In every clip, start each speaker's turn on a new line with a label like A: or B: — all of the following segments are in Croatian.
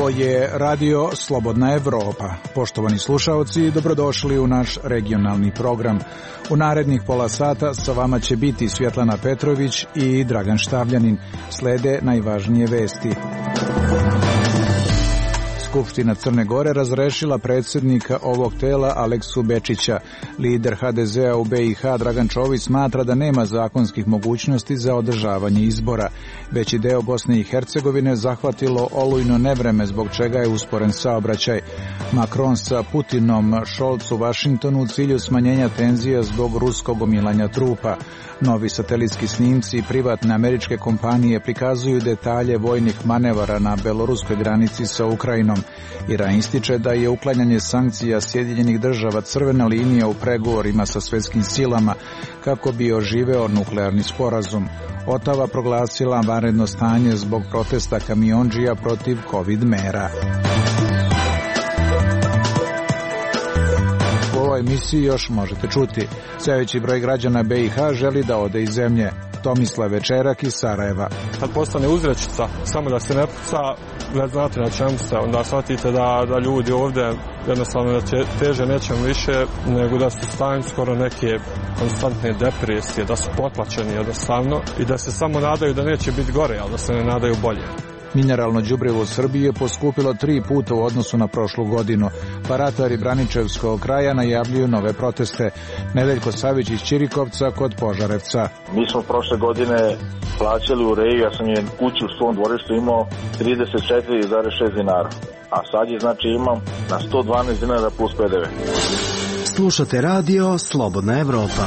A: Ovo je Radio Slobodna Evropa. Poštovani slušaoci, dobrodošli u naš regionalni program. U narednih pola sata sa vama će biti Svjetlana Petrović i Dragan Štavljanin. Slede najvažnije vesti. Skupština Crne Gore razrešila predsjednika ovog tela Aleksu Bečića. Lider HDZ-a u BiH Dragan Čović smatra da nema zakonskih mogućnosti za održavanje izbora. Veći deo Bosne i Hercegovine zahvatilo olujno nevreme, zbog čega je usporen saobraćaj. Macron sa Putinom, Scholz u Vašingtonu u cilju smanjenja tenzija zbog ruskog omilanja trupa. Novi satelitski snimci privatne američke kompanije prikazuju detalje vojnih manevara na beloruskoj granici sa Ukrajinom. Iran ističe da je uklanjanje sankcija Sjedinjenih država crvena linija u pregovorima sa svjetskim silama kako bi oživeo nuklearni sporazum. Otava proglasila vanredno stanje zbog protesta kamiondžija protiv COVID mera. U ovoj emisiji još možete čuti. Sve veći broj građana BiH želi da ode iz zemlje. Tomislav Večerak iz Sarajeva.
B: Kad postane uzrečica, samo da se ne puca, već znate na čemu se, onda shvatite da ljudi ovdje jednostavno da teže nečem više, nego da su u stanju skoro neke konstantne depresije, da su potlačeni jednostavno i da se samo nadaju da neće biti gore, ali da se ne nadaju bolje.
A: Mineralno đubrivo u Srbiji je poskupilo 3 puta u odnosu na prošlu godinu. Paratari Braničevskog kraja najavljuju nove proteste. Nedeljko Savić iz Ćirikovca kod Požarevca.
C: Mi smo prošle godine plaćali u reji, ja sam je kuću u svom dvorištu imao 34,6 dinara. A sad je znači imam na 112 dinara plus PDV.
D: Slušate Radio Slobodna Evropa.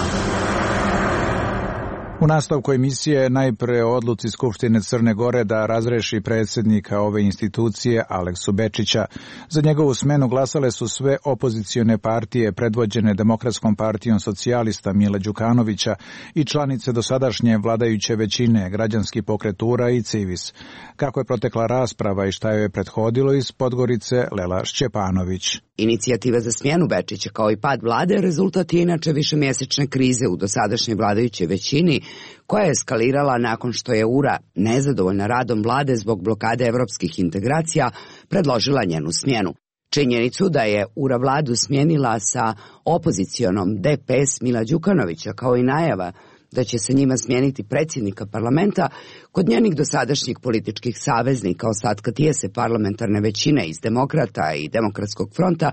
A: U nastavku emisije najpre o odluci Skupštine Crne Gore da razreši predsjednika ove institucije Aleksu Bečića. Za njegovu smenu glasale su sve opozicione partije predvođene Demokratskom partijom socijalista Mila Đukanovića i članice dosadašnje vladajuće većine, Građanski pokret URA i Civis. Kako je protekla rasprava i šta joj je prethodilo, iz Podgorice Lela Šćepanović.
E: Inicijativa za smjenu Bečića kao i pad vlade rezultat je inače višemjesečne krize u dosadašnjoj vladajućoj većini, koja je eskalirala nakon što je URA, nezadovoljna radom vlade zbog blokade evropskih integracija, predložila njenu smjenu. Činjenicu da je URA vladu smjenila sa opozicionom DPS Mila Đukanovića, kao i najava da će se njima smijeniti predsjednika parlamenta, kod njenih dosadašnjih političkih saveznika ostatka tijese parlamentarne većine iz Demokrata i Demokratskog fronta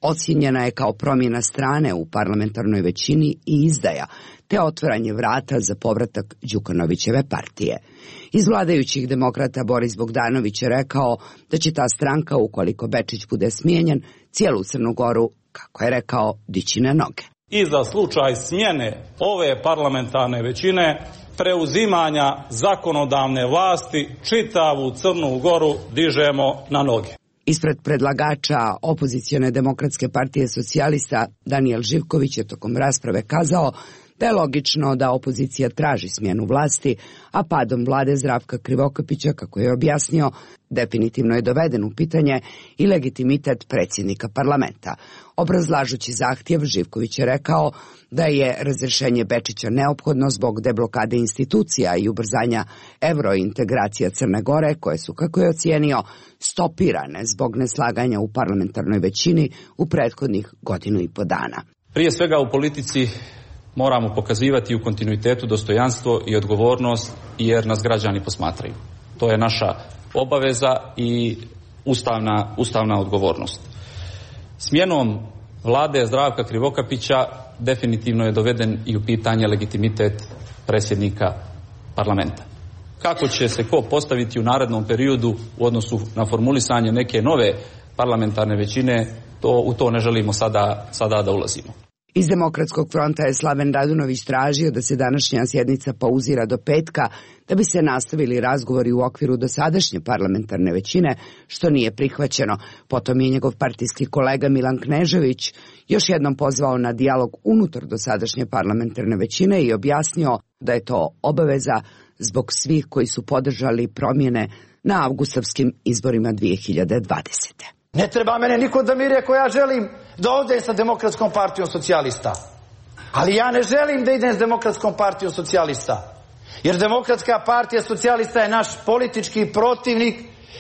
E: ocijenjena je kao promjena strane u parlamentarnoj većini i izdaja, te otvaranje vrata za povratak Đukanovićeve partije. Iz vladajućih Demokrata Boris Bogdanović je rekao da će ta stranka, ukoliko Bečić bude smijenjen, cijelu Crnu Goru, kako je rekao, dići na noge.
F: I za slučaj smjene ove parlamentarne većine, preuzimanja zakonodavne vlasti, čitavu Crnu Goru dižemo na noge.
E: Ispred predlagača opozicione Demokratske partije socijalista Danijel Živković je tokom rasprave kazao da je logično da opozicija traži smjenu vlasti, a padom vlade Zdravka Krivokapića, kako je objasnio, definitivno je doveden u pitanje i legitimitet predsjednika parlamenta. Obrazlažući zahtjev, Živković je rekao da je razrješenje Bečića neophodno zbog deblokade institucija i ubrzanja eurointegracija Crne Gore, koje su, kako je ocijenio, stopirane zbog neslaganja u parlamentarnoj većini u prethodnih 1,5 dana.
F: Prije svega u politici moramo pokazivati u kontinuitetu dostojanstvo i odgovornost, jer nas građani posmatraju. To je naša obaveza i ustavna odgovornost. Smjenom vlade Zdravka Krivokapića definitivno je doveden i u pitanje legitimitet predsjednika parlamenta. Kako će se ko postaviti u narednom periodu u odnosu na formulisanje neke nove parlamentarne većine, u to ne želimo sada da ulazimo.
E: Iz Demokratskog fronta je Slaven Radunović tražio da se današnja sjednica pauzira do petka, da bi se nastavili razgovori u okviru dosadašnje parlamentarne većine, što nije prihvaćeno. Potom je njegov partijski kolega Milan Knežević još jednom pozvao na dijalog unutar dosadašnje parlamentarne većine i objasnio da je to obaveza zbog svih koji su podržali promjene na avgustovskim izborima 2020.
G: Ne treba mene niko da mi rekao, ja želim da ovdje sa Demokratskom partijom socijalista. Ali ja ne želim da idem s Demokratskom partijom socijalista. Jer Demokratska partija socijalista je naš politički protivnik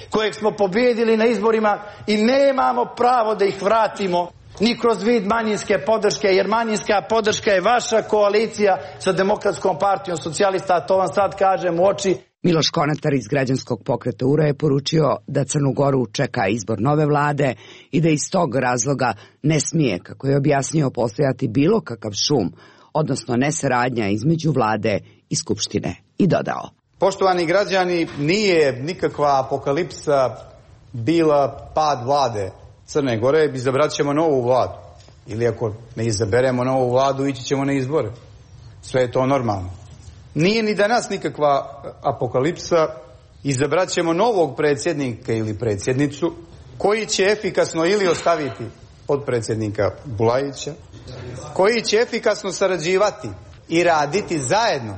G: kojeg smo pobijedili na izborima i nemamo pravo da ih vratimo ni kroz vid manjinske podrške, jer manjinska podrška je vaša koalicija sa Demokratskom partijom socijalista, a to vam sad kažem u oči.
E: Miloš Konatar iz Građanskog pokreta URA je poručio da Crnu Goru čeka izbor nove vlade i da iz tog razloga ne smije, kako je objasnio, postojati bilo kakav šum, odnosno nesaradnja između vlade i skupštine. I dodao:
H: Poštovani građani, nije nikakva apokalipsa bila pad vlade Crne Gore, izabrat ćemo novu vladu. Ili ako ne izaberemo novu vladu, ići ćemo na izbore. Sve je to normalno. Nije ni danas nikakva apokalipsa, izabrat ćemo novog predsjednika ili predsjednicu koji će efikasno ili ostaviti potpredsjednika Bulajića, koji će efikasno sarađivati i raditi zajedno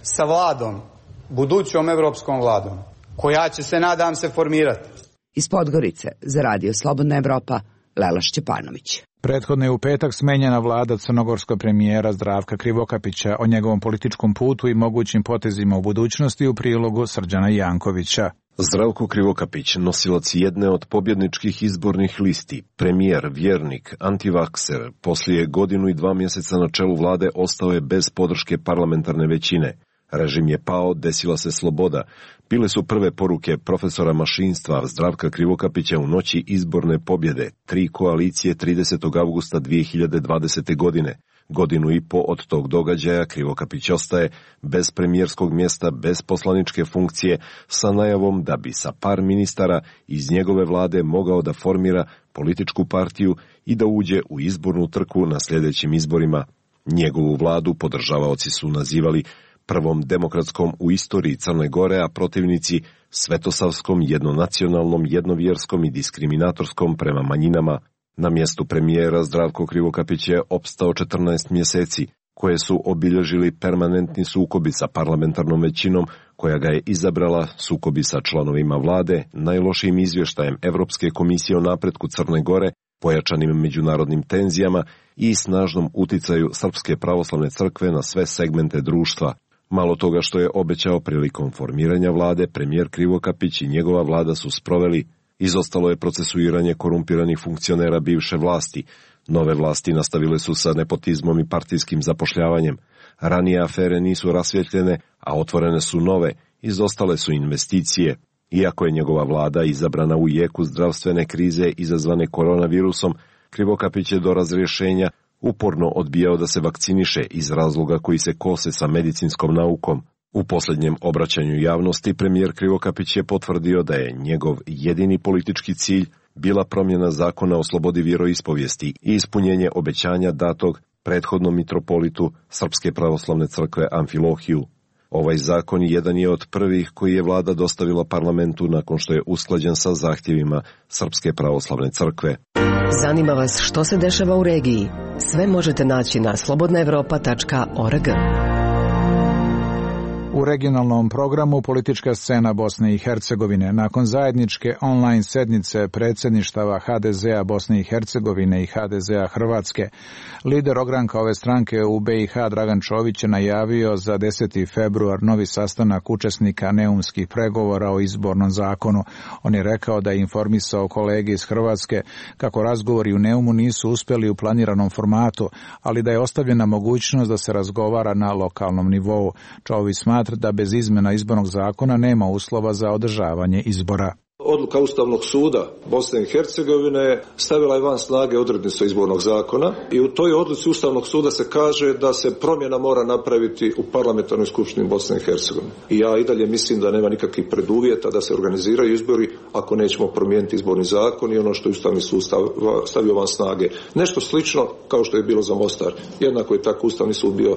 H: sa vladom, budućom evropskom vladom, koja će se, nadam se, formirati.
E: Iz Podgorice za Radio Slobodna Evropa, Lela Šćepanović.
A: Prethodno je u petak smenjena vlada crnogorskog premijera Zdravka Krivokapića. O njegovom političkom putu i mogućim potezima u budućnosti u prilogu Srđana Jankovića.
I: Zdravko Krivokapić, nosilac jedne od pobjedničkih izbornih listi, premijer, vjernik, antivakser, poslije 1 godinu i 2 mjeseca na čelu vlade ostao je bez podrške parlamentarne većine. Režim je pao, desila se sloboda. Bile su prve poruke profesora mašinstva Zdravka Krivokapića u noći izborne pobjede, 3 koalicije 30. augusta 2020. godine. 1,5 godinu od tog događaja Krivokapić ostaje bez premijerskog mjesta, bez poslaničke funkcije, sa najavom da bi sa par ministara iz njegove vlade mogao da formira političku partiju i da uđe u izbornu trku na sljedećim izborima. Njegovu vladu podržavaoci su nazivali prvom demokratskom u istoriji Crne Gore, a protivnici svetosavskom, jednonacionalnom, jednovjerskom i diskriminatorskom prema manjinama. Na mjestu premijera Zdravko Krivokapić je opstao 14 mjeseci, koje su obilježili permanentni sukobi sa parlamentarnom većinom, koja ga je izabrala, sukobi sa članovima vlade, najlošijim izvještajem Evropske komisije o napretku Crne Gore, pojačanim međunarodnim tenzijama i snažnom uticaju Srpske pravoslavne crkve na sve segmente društva. Malo toga što je obećao prilikom formiranja vlade, premijer Krivokapić i njegova vlada su sproveli. Izostalo je procesuiranje korumpiranih funkcionera bivše vlasti. Nove vlasti nastavile su sa nepotizmom i partijskim zapošljavanjem. Ranije afere nisu rasvjetljene, a otvorene su nove. Izostale su investicije. Iako je njegova vlada izabrana u jeku zdravstvene krize izazvane koronavirusom, Krivokapić je do razrješenja uporno odbijao da se vakciniše iz razloga koji se kose sa medicinskom naukom. U posljednjem obraćanju javnosti premijer Krivokapić je potvrdio da je njegov jedini politički cilj bila promjena zakona o slobodi vjeroispovijesti i ispunjenje obećanja datog prethodnom mitropolitu Srpske pravoslavne crkve Amfilohiju. Ovaj zakon jedan je od prvih koji je vlada dostavila parlamentu nakon što je usklađen sa zahtjevima Srpske pravoslavne crkve.
J: Zanima vas što se dešava u regiji? Sve možete naći na slobodnaevropa.org.
A: U regionalnom programu politička scena Bosne i Hercegovine. Nakon zajedničke online sednice predsjedništava HDZ-a Bosne i Hercegovine i HDZ-a Hrvatske, lider ogranka ove stranke u BiH Dragan Čović je najavio za 10. februar novi sastanak učesnika neumskih pregovora o izbornom zakonu. On je rekao da je informisao kolege iz Hrvatske kako razgovori u Neumu nisu uspjeli u planiranom formatu, ali da je ostavljena mogućnost da se razgovara na lokalnom nivou. Čović smatra da bez izmjena izbornog zakona nema uslova za održavanje izbora.
K: Odluka Ustavnog suda Bosne i Hercegovine stavila je van snage odrednice izbornog zakona i u toj odluci Ustavnog suda se kaže da se promjena mora napraviti u parlamentarnoj skupštini Bosne i Hercegovine. I ja i dalje mislim da nema nikakvih preduvjeta da se organiziraju izbori ako nećemo promijeniti izborni zakon i ono što je Ustavni sud stavio van snage. Nešto slično kao što je bilo za Mostar. Jednako je tako Ustavni sud bio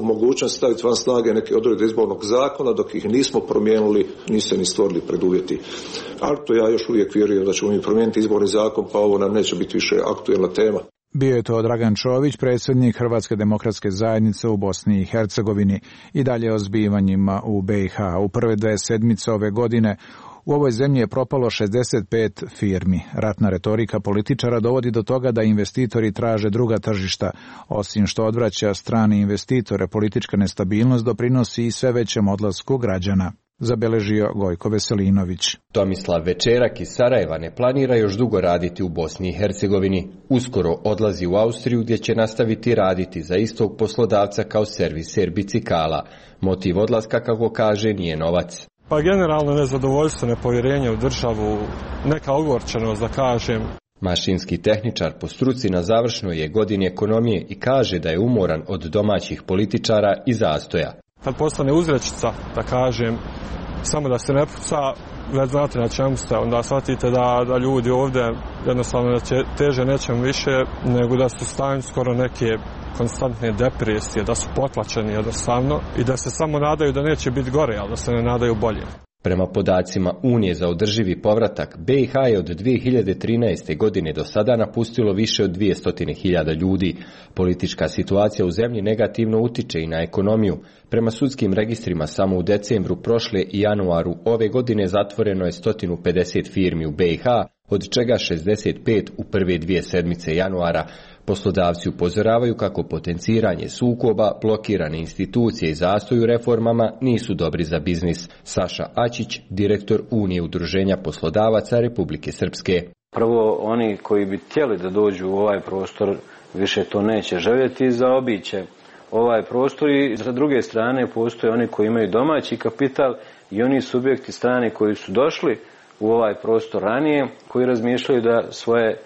K: u mogućnosti staviti van snage neke odredbe izbornog zakona, dok ih nismo promijenili, nisu se ni stvorili preduvjeti. Ali to ja još uvijek vjerujem da ćemo mi promijeniti izborni zakon, pa ovo nam neće biti više aktuelna tema.
A: Bio je to Dragan Čović, predsjednik Hrvatske demokratske zajednice u Bosni i Hercegovini. I dalje o zbivanjima u BiH. U prve 2 sedmice ove godine u ovoj zemlji je propalo 65 firmi. Ratna retorika političara dovodi do toga da investitori traže druga tržišta. Osim što odvraća strane investitore, politička nestabilnost doprinosi i sve većem odlasku građana. zabeležio Gojko Veselinović.
L: Tomislav Večerak iz Sarajeva ne planira još dugo raditi u Bosni i Hercegovini. Uskoro odlazi u Austriju gdje će nastaviti raditi za istog poslodavca kao serviser bicikala. Motiv odlaska, kako kaže, nije novac.
B: Pa generalno nezadovoljstvo, nepovjerenje u državu, neka ogorčenost da kažem.
L: Mašinski tehničar po struci na završnoj je godini ekonomije i kaže da je umoran od domaćih političara i zastoja.
B: Kad postane uzrečica, da kažem, samo da se ne puca, već znate na čemu ste, onda shvatite da ljudi ovdje jednostavno teže nečem više, nego da su u stanju skoro neke konstantne depresije, da su potlačeni jednostavno i da se samo nadaju da neće biti gore, ali da se ne nadaju bolje.
L: Prema podacima Unije za održivi povratak, BiH je od 2013. godine do sada napustilo više od 200.000 ljudi. Politička situacija u zemlji negativno utiče i na ekonomiju. Prema sudskim registrima samo u decembru prošle i januaru ove godine zatvoreno je 150 firmi u BiH, od čega 65 u prve 2 sedmice januara. Poslodavci upozoravaju kako potenciranje sukoba, blokirane institucije i zastoj u reformama nisu dobri za biznis. Saša Ačić, direktor Unije udruženja poslodavaca Republike Srpske.
M: Prvo, oni koji bi htjeli da dođu u ovaj prostor više to neće željeti, zaobiće ovaj prostor i sa druge strane postoje oni koji imaju domaći kapital i oni subjekti strani koji su došli u ovaj prostor ranije, koji razmišljaju da svoje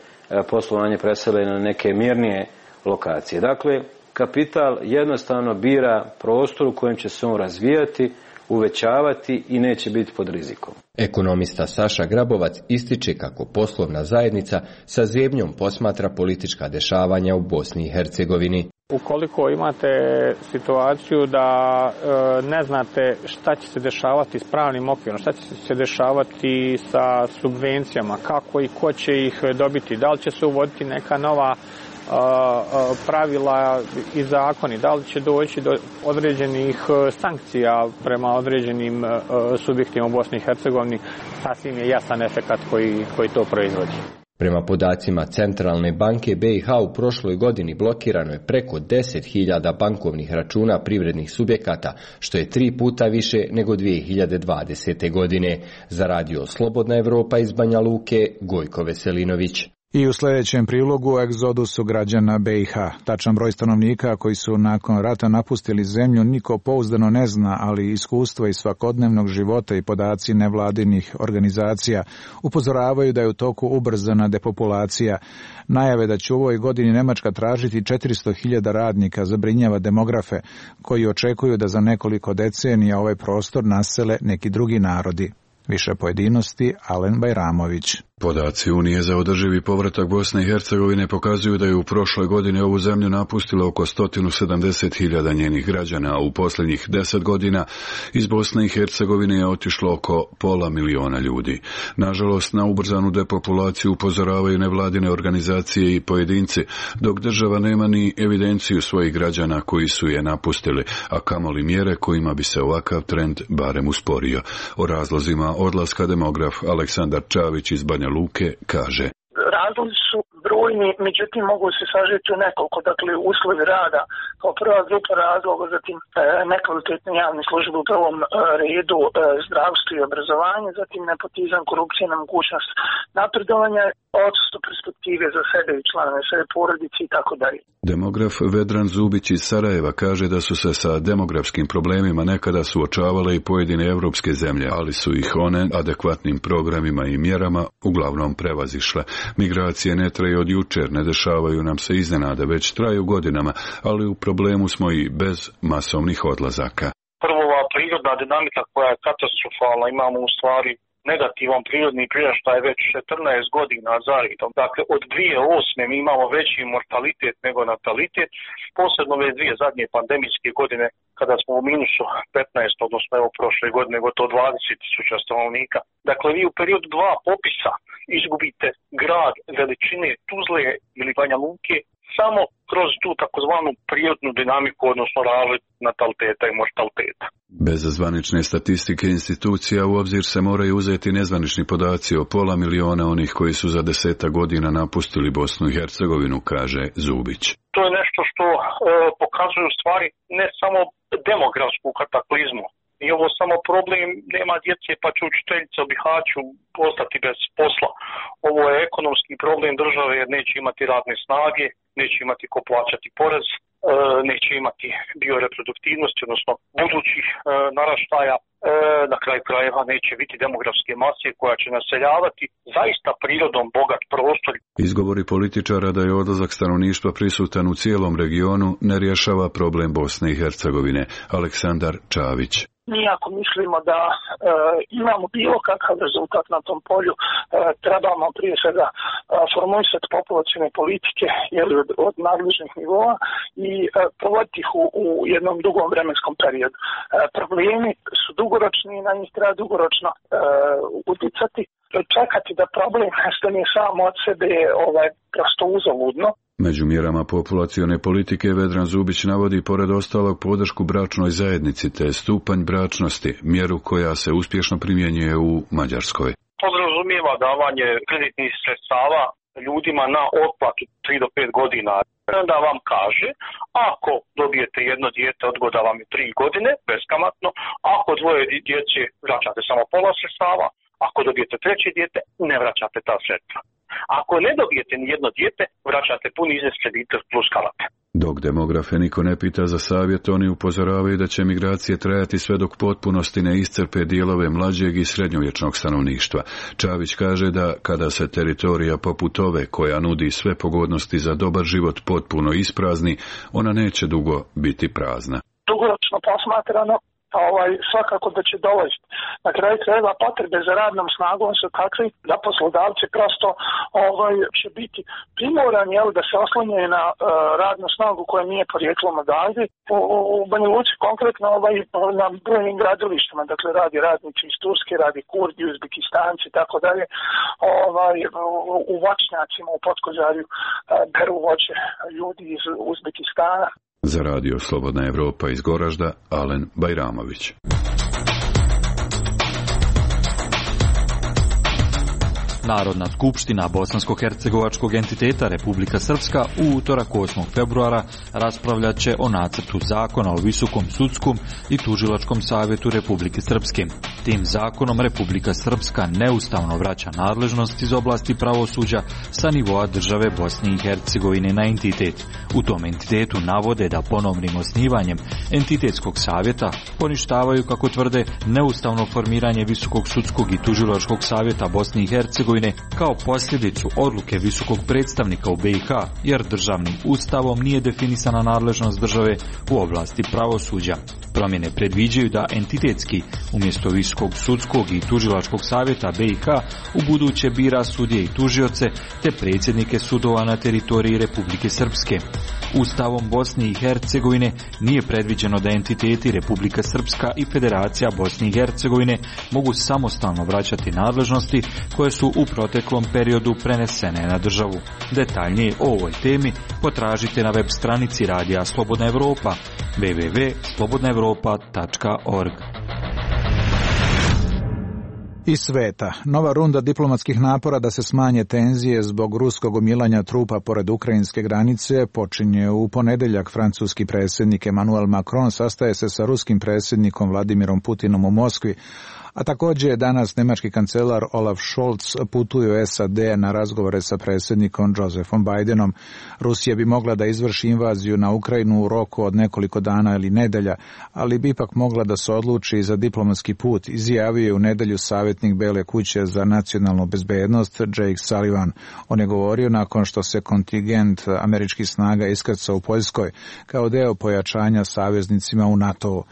M: poslovanje presele na neke mirnije lokacije. Dakle, kapital jednostavno bira prostor u kojem će se on razvijati, uvećavati i neće biti pod rizikom.
L: Ekonomista Saša Grabovac ističe kako poslovna zajednica sa zebnjom posmatra politička dešavanja u Bosni i Hercegovini.
N: Ukoliko imate situaciju da ne znate šta će se dešavati s pravnim okvirom, šta će se dešavati sa subvencijama, kako i ko će ih dobiti, da li će se uvoditi neka nova pravila i zakoni, da li će doći do određenih sankcija prema određenim subjektima u Bosni i Hercegovini, sasvim je jasan efekat koji to proizvodi.
L: Prema podacima Centralne banke BiH u prošloj godini blokirano je preko 10.000 bankovnih računa privrednih subjekata, što je 3 puta više nego 2020. godine. Za radio Slobodna Evropa iz Banja Luke, Gojko Veselinović.
A: I u sljedećem prilogu o egzodusu građana BiH. Tačan broj stanovnika koji su nakon rata napustili zemlju niko pouzdano ne zna, ali iskustvo iz svakodnevnog života i podaci nevladinih organizacija upozoravaju da je u toku ubrzana depopulacija. Najave da će u ovoj godini Nemačka tražiti 400.000 radnika zabrinjava demografe koji očekuju da za nekoliko decenija ovaj prostor nasele neki drugi narodi. Više pojedinosti, Alen Bajramović.
O: Podaci Unije za održivi povratak Bosne i Hercegovine pokazuju da je u prošloj godini ovu zemlju napustilo oko 170.000 njenih građana, a u posljednjih 10 godina iz Bosne i Hercegovine je otišlo oko 500.000 ljudi. Nažalost, na ubrzanu depopulaciju upozoravaju nevladine organizacije i pojedinci, dok država nema ni evidenciju svojih građana koji su je napustili, a kamoli mjere kojima bi se ovakav trend barem usporio. O razlozima odlaska demograf Aleksandar Čavić iz Banja Luke kaže:
P: Razlozi su brojni, međutim mogu se sažeti u nekoliko, dakle uslovi rada kao prva grupa razloga, zatim nekvalitetne javne službe u prvom redu, zdravstvo i obrazovanje, zatim nepotizam, korupcija, nemogućnost napredovanja, odsustvo perspektive za sebe i članove svoje porodice i tako dalje.
O: Demograf Vedran Zubić iz Sarajeva kaže da su se sa demografskim problemima nekada suočavale i pojedine evropske zemlje, ali su ih one adekvatnim programima i mjerama uglavnom prevazišle. Migracije ne traju od jučer, ne dešavaju nam se iznenada, već traju godinama, ali u problemu smo i bez masovnih odlazaka.
P: Prvo, ova prirodna dinamika koja je katastrofalna, imamo u stvari negativan prirodni priraštaj već 14 godina za redom. Dakle, od 2008. mi imamo veći mortalitet nego natalitet, posebno ove dvije zadnje pandemijske godine kada smo u minusu 15, odnosno evo prošle godine gotovo 20.000 stanovnika. Dakle, vi u periodu 2 popisa izgubite grad veličine Tuzle ili Banja Luke samo kroz tu takozvanu prirodnu dinamiku, odnosno razliku nataliteta i mortaliteta.
O: Bez zvanične statistike institucija u obzir se moraju uzeti nezvanični podaci o 500.000 onih koji su za 10 godina napustili Bosnu i Hercegovinu, kaže Zubić.
P: To je nešto što pokazuje u stvari ne samo demografsku kataklizmu, Nije ovo samo problem, nema djece pa će učiteljica u Bihaću ostati bez posla. Ovo je ekonomski problem države jer neće imati radne snage, neće imati ko plaćati porez, neće imati bioreproduktivnosti, odnosno budućih naraštaja. Na kraju krajeva neće biti demografske mase koja će naseljavati zaista prirodom bogat prostor.
O: Izgovori političara da je odlazak stanovništva prisutan u cijelom regionu ne rješava problem Bosne i Hercegovine. Aleksandar Čavić.
Q: Mi ako mislimo da imamo bilo kakav rezultat na tom polju, trebamo prije svega formulisati populacione politike od nadležnih nivoa i provoditi ih u jednom dugom vremenskom periodu. Problemi su dugoročni i na njih treba dugoročno uticati. Čekati da problem nestane samo od sebe je prosto uzaludno.
O: Među mjerama populacione politike Vedran Zubić navodi pored ostalog podršku bračnoj zajednici te stupanj bračnosti, mjeru koja se uspješno primjenjuje u Mađarskoj.
P: Podrazumijeva davanje kreditnih sredstava ljudima na otplatu 3 do 5 godina. Onda vam kaže, ako dobijete jedno dijete, odgoda vam je 3 godine, beskamatno, ako dvoje djece vraćate samo pola sredstava, ako dobijete treće dijete, ne vraćate ta sredstva. Ako ne dobijete ni jedno dijete, vraćate puni iznos kredita plus kamate.
O: Dok demografe niko ne pita za savjet, oni upozoravaju da će migracije trajati sve dok potpunosti ne iscrpe dijelove mlađeg i srednjovječnog stanovništva. Čavić kaže da kada se teritorija poput ove, koja nudi sve pogodnosti za dobar život, potpuno isprazni, ona neće dugo biti prazna.
Q: Dugoročno posmatrano, svakako da će dovesti. Na kraju krajeva potrebe za radnom snagom su takvi da poslodavci prosto će biti primorani da se oslonjaju na radnu snagu koja nije porijeklom odavde. U Banja Luci konkretno na brojnim gradilištima, dakle radi radnici iz Turske, radi Kurdi, Uzbekistanci i tako dalje. U voćnjacima u Potkozarju beru voće ljudi iz Uzbekistana.
O: Za radio Slobodna Evropa iz Goražda, Alen Bajramović.
R: Narodna skupština bosansko-hercegovačkog entiteta Republika Srpska u utorak 8. februara raspravljat će o nacrtu zakona o Visokom sudskom i tužilačkom savjetu Republike Srpske. Tim zakonom Republika Srpska neustavno vraća nadležnost iz oblasti pravosuđa sa nivoa države Bosne i Hercegovine na entitet. U tom entitetu navode da ponovnim osnivanjem entitetskog savjeta poništavaju, kako tvrde, neustavno formiranje Visokog sudskog i tužilačkog savjeta Bosne i Hercegovine kao posljedicu odluke visokog predstavnika u BiH, jer državnim ustavom nije definisana nadležnost države u oblasti pravosuđa. Promjene predviđaju da entitetski umjesto Visokog sudskog i tužilačkog savjeta BiH u buduće bira sudije i tužioce te predsjednike sudova na teritoriji Republike Srpske. Ustavom Bosne i Hercegovine nije predviđeno da entiteti Republika Srpska i Federacija Bosne i Hercegovine mogu samostalno vraćati nadležnosti koje su u proteklom periodu prenesene na državu. Detaljnije o ovoj temi potražite na web stranici Radija Slobodna Evropa www.slobodnaevropa.org.
A: Iz sveta. Nova runda diplomatskih napora da se smanje tenzije zbog ruskog gomilanja trupa pored ukrajinske granice počinje u ponedjeljak. Francuski predsjednik Emmanuel Macron sastaje se sa ruskim predsjednikom Vladimirom Putinom u Moskvi, a također je danas njemački kancelar Olaf Scholz putuje u SAD na razgovore sa predsjednikom Josephom Bidenom. Rusija bi mogla da izvrši invaziju na Ukrajinu u roku od nekoliko dana ili nedelja, ali bi ipak mogla da se odluči za diplomatski put, izjavio je u nedjelju savjetnik Bele kuće za nacionalnu bezbednost Jake Sullivan. On je govorio nakon što se kontingent američkih snaga iskrcao u Poljskoj kao deo pojačanja saveznicima u NATO-u.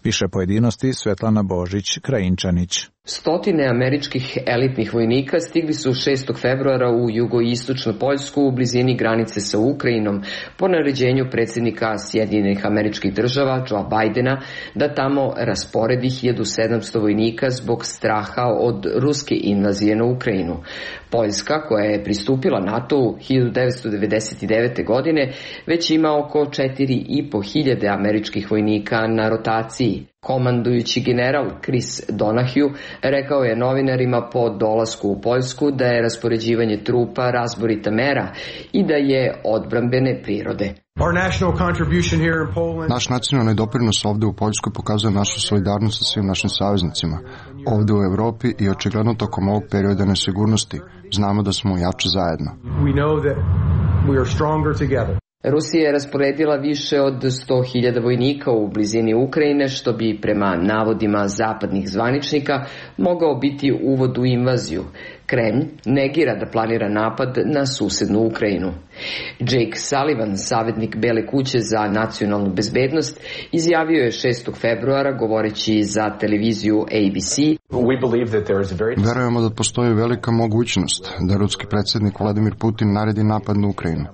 A: Više pojedinosti Svetlana Božić-Krajinčanić.
S: Stotine američkih elitnih vojnika stigli su 6. februara u jugoistočnu Poljsku u blizini granice sa Ukrajinom po naređenju predsjednika Sjedinjenih Američkih Država Joea Bidena da tamo rasporedi 1700 vojnika zbog straha od ruske invazije na Ukrajinu. Poljska, koja je pristupila NATO-u 1999. godine, već ima oko 4.500 američkih vojnika na rotaciji. Komandujući general Chris Donahue rekao je novinarima po dolasku u Poljsku da je raspoređivanje trupa razborita mera i da je odbrambene prirode.
T: Naš nacionalni doprinos ovde u Poljskoj pokazuje našu solidarnost sa svim našim saveznicima. Ovde u Evropi i očigledno tokom ovog perioda nesigurnosti znamo da smo jači zajedno.
S: Rusija je rasporedila više od 100.000 vojnika u blizini Ukrajine, što bi prema navodima zapadnih zvaničnika mogao biti uvod u invaziju. Kremlj negira da planira napad na susednu Ukrajinu. Jake Sullivan, savjetnik Bele kuće za nacionalnu bezbednost, izjavio je 6. februara govoreći za televiziju ABC:
T: Verujemo da postoji velika mogućnost da ruski predsjednik Vladimir Putin naredi napad na Ukrajinu.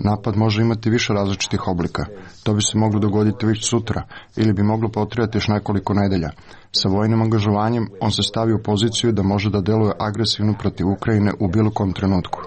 T: Napad može imati više različitih oblika. To bi se moglo dogoditi već sutra ili bi moglo potrajati još nekoliko nedelja. Sa vojnim angažovanjem on se stavi u poziciju da može da deluje agresivno protiv Ukrajine u bilo kom trenutku.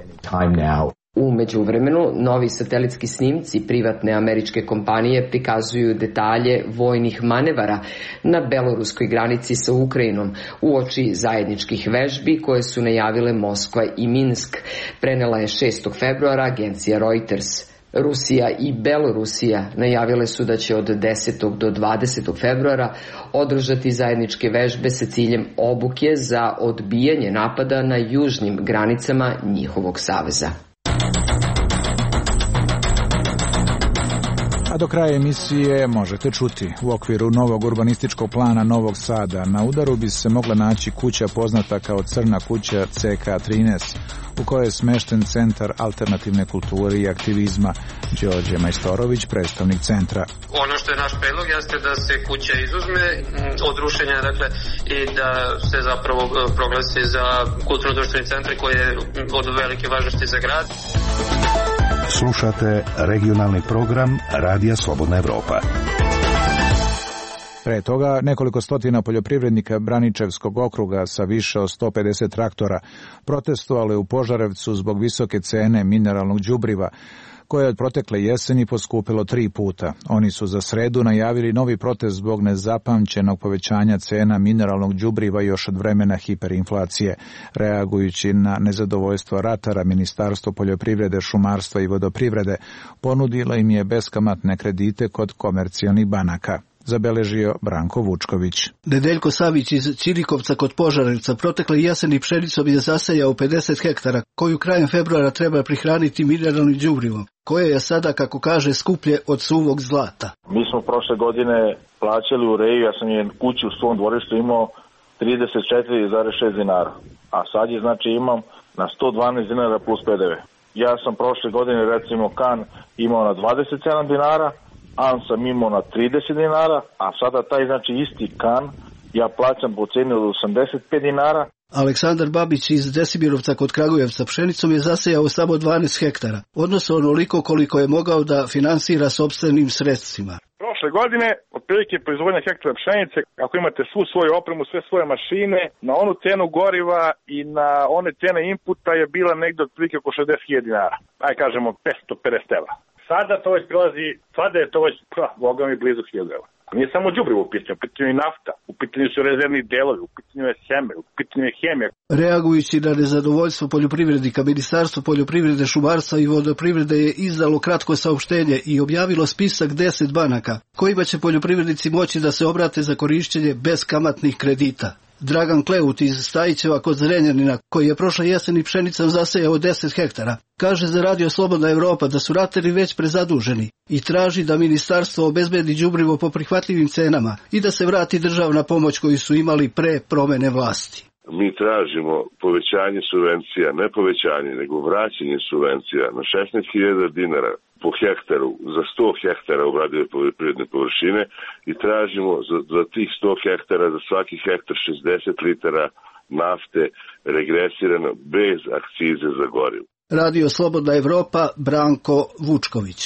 S: U međuvremenu, novi satelitski snimci privatne američke kompanije prikazuju detalje vojnih manevara na beloruskoj granici sa Ukrajinom uoči zajedničkih vežbi koje su najavile Moskva i Minsk, prenela je 6. februara agencija Reuters. Rusija i Belorusija najavile su da će od 10. do 20. februara održati zajedničke vežbe sa ciljem obuke za odbijanje napada na južnim granicama njihovog saveza.
A: A do kraja emisije možete čuti. U okviru novog urbanističkog plana Novog Sada na udaru bi se mogla naći kuća poznata kao Crna kuća CK13, u kojoj je smešten centar alternativne kulture i aktivizma. Đorđe Majstorović, predstavnik centra.
U: Ono što je naš predlog jeste da se kuća izuzme od rušenja, dakle, i da se zapravo proglasi za kulturno-društveni centar koji je od velike važnosti za grad.
V: Slušate regionalni program Radija Slobodna Evropa.
A: Pre toga nekoliko stotina poljoprivrednika Braničevskog okruga sa više od 150 traktora protestovalo je u Požarevcu zbog visoke cene mineralnog đubriva, koje je od protekle jeseni poskupilo 3 puta. Oni su za sredu najavili novi protest zbog nezapamćenog povećanja cena mineralnog đubriva još od vremena hiperinflacije. Reagujući na nezadovoljstvo ratara, Ministarstvo poljoprivrede, šumarstva i vodoprivrede ponudilo im je beskamatne kredite kod komercijalnih banaka. Zabeležio Branko Vučković.
W: Nedeljko Savić iz Ćirikovca kod Požarevca protekle jeseni pšenicom je zasejao 50 hektara, koju krajem februara treba prihraniti mineralnim đubrivom, koje je sada, kako kaže, skuplje od suvog zlata.
C: Mi smo prošle godine plaćali ureju, ja sam je kuću u svom dvorištu imao 34,6 dinara, a sad je znači imam na 112 dinara plus PDV. Ja sam prošle godine recimo kan imao na 27 dinara, an sam imao na 30 dinara, a sada taj znači isti kan ja plaćam po ceni od 85 dinara.
W: Aleksandar Babić iz Desimirovca kod Kragujevca pšenicom je zasejao samo 12 hektara, odnosno onoliko koliko je mogao da finansira sopstvenim sredstvima.
X: Prošle godine, otprilike proizvodnja hektara pšenice, ako imate svu svoju opremu, sve svoje mašine, na onu cenu goriva i na one cene inputa je bila negde otprilike oko 60.000 dinara. Aj kažemo 550 evra. Sada to već prilazi, sada je to već, boga mi, blizu 1000 evra. Nije samo đubrivo u pitanju je nafta, u pitanju su rezervni delovi, u pitanju je sjeme, u pitanju je hemija.
W: Reagujući na nezadovoljstvo poljoprivrednika, Ministarstvo poljoprivrede, šumarstva i vodoprivrede je izdalo kratko saopštenje i objavilo spisak 10 banaka, kojima će poljoprivrednici moći da se obrate za korišćenje beskamatnih kredita. Dragan Kleut iz Stajićeva kod Zrenjanina, koji je prošle jeseni pšenicom zasejao 10 hektara, kaže za Radio Slobodna Evropa da su ratari već prezaduženi i traži da ministarstvo obezbedi đubrivo po prihvatljivim cenama i da se vrati državna pomoć koju su imali pre promene vlasti.
Y: Mi tražimo povećanje subvencija, ne povećanje, nego vraćanje subvencija na 16.000 dinara po hektaru za 100 hektara obradive poljoprivredne površine i tražimo za tih 100 hektara za svaki hektar 60 litara nafte regresirano bez akcize za gorivo.
W: Radio Slobodna Evropa, Branko Vučković.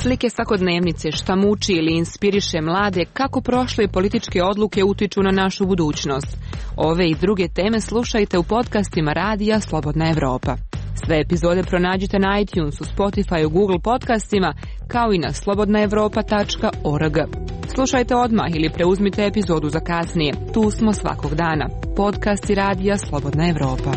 Z: Slike svakodnevnice, šta muči ili inspiriše mlade, kako prošle političke odluke utiču na našu budućnost. Ove i druge teme slušajte u podcastima Radija Slobodna Evropa. Sve epizode pronađite na iTunesu, Spotifyu, Google podcastima, kao i na slobodnaevropa.org. Slušajte odmah ili preuzmite epizodu za kasnije. Tu smo svakog dana. Podcast i radija Slobodna Evropa.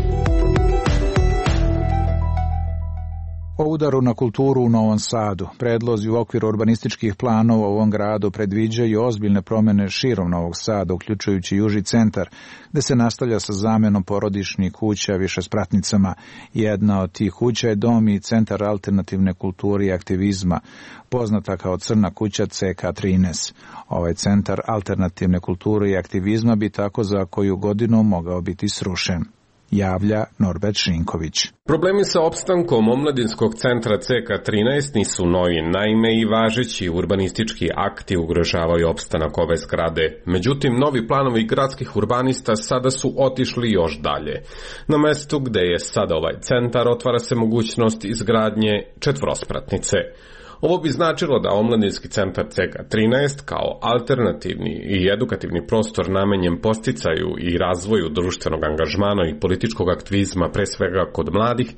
A: O udaru na kulturu u Novom Sadu. Predlozi u okviru urbanističkih planova u ovom gradu predviđaju ozbiljne promjene širom Novog Sada, uključujući Južni centar, gde se nastavlja sa zamenom porodičnih kuća višespratnicama. Jedna od tih kuća je dom i centar alternativne kulture i aktivizma, poznata kao Crna kuća CK13. Ovaj centar alternativne kulture i aktivizma bi tako za koju godinu mogao biti srušen. Javlja Norbert Šinković.
D: Problemi sa opstankom omladinskog centra CK13 nisu novi, naime i važeći urbanistički akti ugrožavaju opstanak ove zgrade. Međutim, novi planovi gradskih urbanista sada su otišli još dalje. Na mestu gde je sada ovaj centar otvara se mogućnost izgradnje četvrospratnice. Ovo bi značilo da omladinski centar CK13 kao alternativni i edukativni prostor namenjen posticaju i razvoju društvenog angažmana i političkog aktivizma, pre svega kod mladih,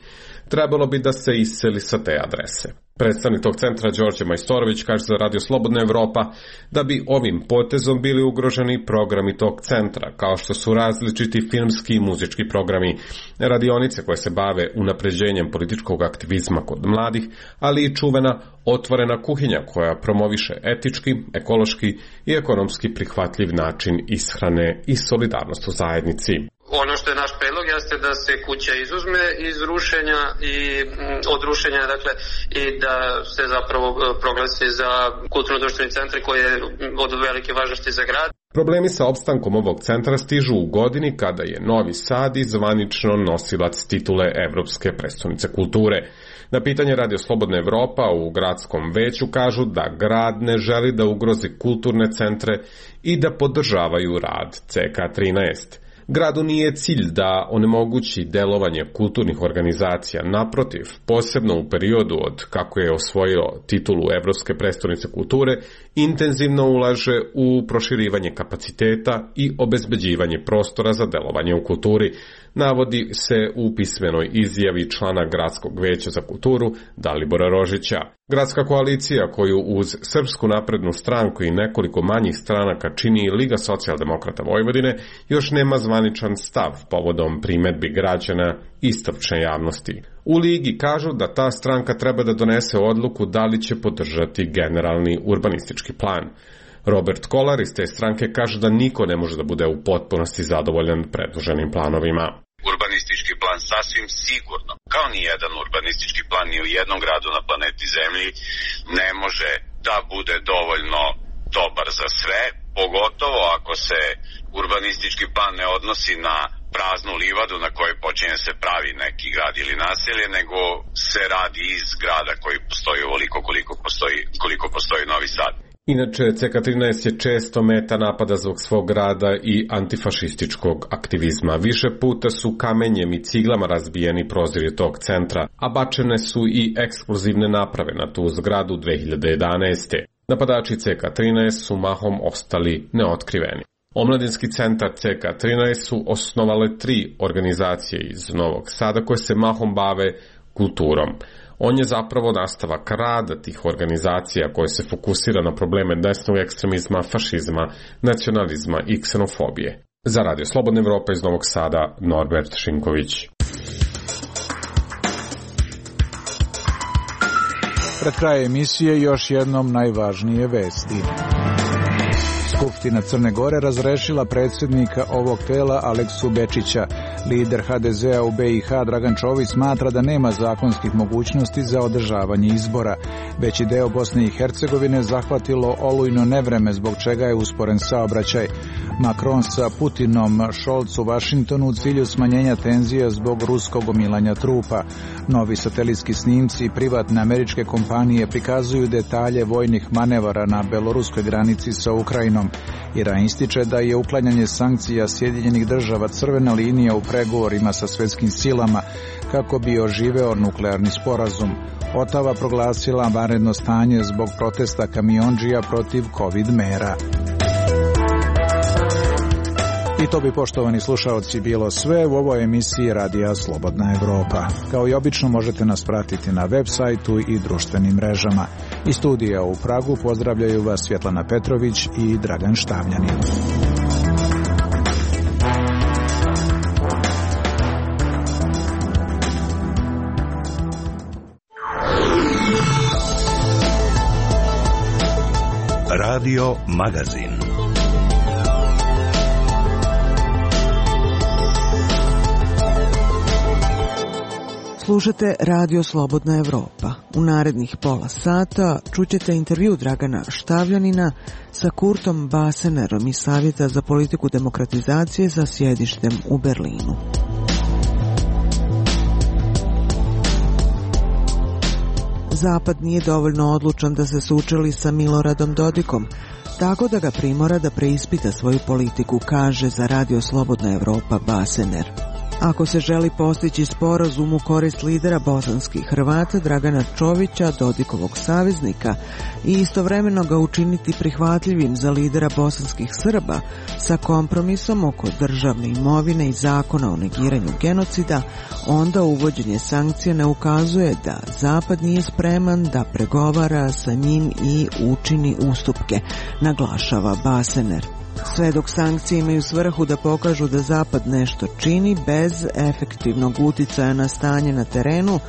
D: trebalo bi da se iseli sa te adrese. Predstavnik tog centra Đorđe Majstorović kaže za Radio Slobodna Evropa da bi ovim potezom bili ugroženi programi tog centra, kao što su različiti filmski i muzički programi, radionice koje se bave unapređenjem političkog aktivizma kod mladih, ali i čuvena otvorena kuhinja koja promoviše etički, ekološki i ekonomski prihvatljiv način ishrane i solidarnost u zajednici.
U: Ono što je naš predlog jeste da se kuća izuzme iz rušenja i od rušenja, dakle, i da se zapravo proglasi za kulturno-društveni centar koji je od velike važnosti za grad.
D: Problemi sa opstankom ovog centra stižu u godini kada je Novi Sad i zvanično nosilac titule Evropske prestonice kulture. Na pitanje Radio Slobodna Evropa u gradskom veću kažu da grad ne želi da ugrozi kulturne centre i da podržavaju rad CK13. Gradu nije cilj da onemogući delovanje kulturnih organizacija, naprotiv, posebno u periodu od kako je osvojio titulu Evropske prestonice kulture, intenzivno ulaže u proširivanje kapaciteta i obezbeđivanje prostora za delovanje u kulturi, navodi se u pismenoj izjavi člana Gradskog veća za kulturu Dalibora Rožića. Gradska koalicija koju uz Srpsku naprednu stranku i nekoliko manjih stranaka čini Liga socijaldemokrata Vojvodine još nema zvaničan stav povodom primedbi građana i stručne javnosti. U Ligi kažu da ta stranka treba da donese odluku da li će podržati generalni urbanistički plan. Robert Kolar iz te stranke kaže da niko ne može da bude u potpunosti zadovoljan predloženim planovima.
E: Urbanistički plan sasvim sigurno, kao ni jedan urbanistički plan ni u jednom gradu na planeti Zemlji, ne može da bude dovoljno dobar za sve, pogotovo ako se urbanistički plan ne odnosi na praznu livadu na kojoj počinje se pravi neki grad ili naselje, nego se radi iz grada koji postoji ovoliko koliko postoji Novi Sad.
D: Inače, CK13 je često meta napada zbog svog rada i antifašističkog aktivizma. Više puta su kamenjem i ciglama razbijeni prozori tog centra, a bačene su i eksplozivne naprave na tu zgradu 2011. Napadači CK13 su mahom ostali neotkriveni. Omladinski centar CK13 su osnovale 3 organizacije iz Novog Sada koje se mahom bave kulturom. On je zapravo nastavak rada tih organizacija koje se fokusira na probleme desnog ekstremizma, fašizma, nacionalizma i ksenofobije. Za Radio Slobodna Evropa iz Novog Sada, Norbert Šinković.
A: Pred krajem emisije još jednom najvažnije vesti. Skupština Crne Gore razrešila predsjednika ovog tela Aleksu Bečića. Lider HDZ-a u BiH Dragan Čović smatra da nema zakonskih mogućnosti za održavanje izbora. Veći deo Bosne i Hercegovine zahvatilo olujno nevreme, zbog čega je usporen saobraćaj. Macron sa Putinom, Scholz u Vašingtonu u cilju smanjenja tenzija zbog ruskog gomilanja trupa. Novi satelitski snimci i privatne američke kompanije prikazuju detalje vojnih manevara na beloruskoj granici sa Ukrajinom. Iran ističe da je uklanjanje sankcija Sjedinjenih država crvena linija u pregovorima sa svjetskim silama kako bi oživeo nuklearni sporazum. Otava proglasila vanredno stanje zbog protesta kamiondžija protiv COVID mera. I to bi, poštovani slušaoci, bilo sve u ovoj emisiji Radija Slobodna Evropa. Kao i obično možete nas pratiti na web sajtu i društvenim mrežama. Iz studija u Pragu pozdravljaju vas Svjetlana Petrović i Dragan Štavljanin.
V: Radio Magazin.
F: Slušate Radio Slobodna Evropa. U narednih pola sata čućete intervju Dragana Štavljanina sa Kurtom Basenerom iz Savjeta za politiku demokratizacije sa sjedištem u Berlinu. Zapad nije dovoljno odlučan da se sučeli sa Miloradom Dodikom, tako da ga primora da preispita svoju politiku, kaže za Radio Slobodna Evropa Basener. Ako se želi postići sporazum u korist lidera bosanskih Hrvata Dragana Čovića, Dodikovog saveznika, i istovremeno ga učiniti prihvatljivim za lidera bosanskih Srba sa kompromisom oko državne imovine i zakona o negiranju genocida, onda uvođenje sankcija ne ukazuje da Zapad nije spreman da pregovara sa njim i učini ustupke, naglašava Basener. Sve dok sankcije imaju svrhu da pokažu da Zapad nešto čini bez efektivnog uticaja na stanje na terenu,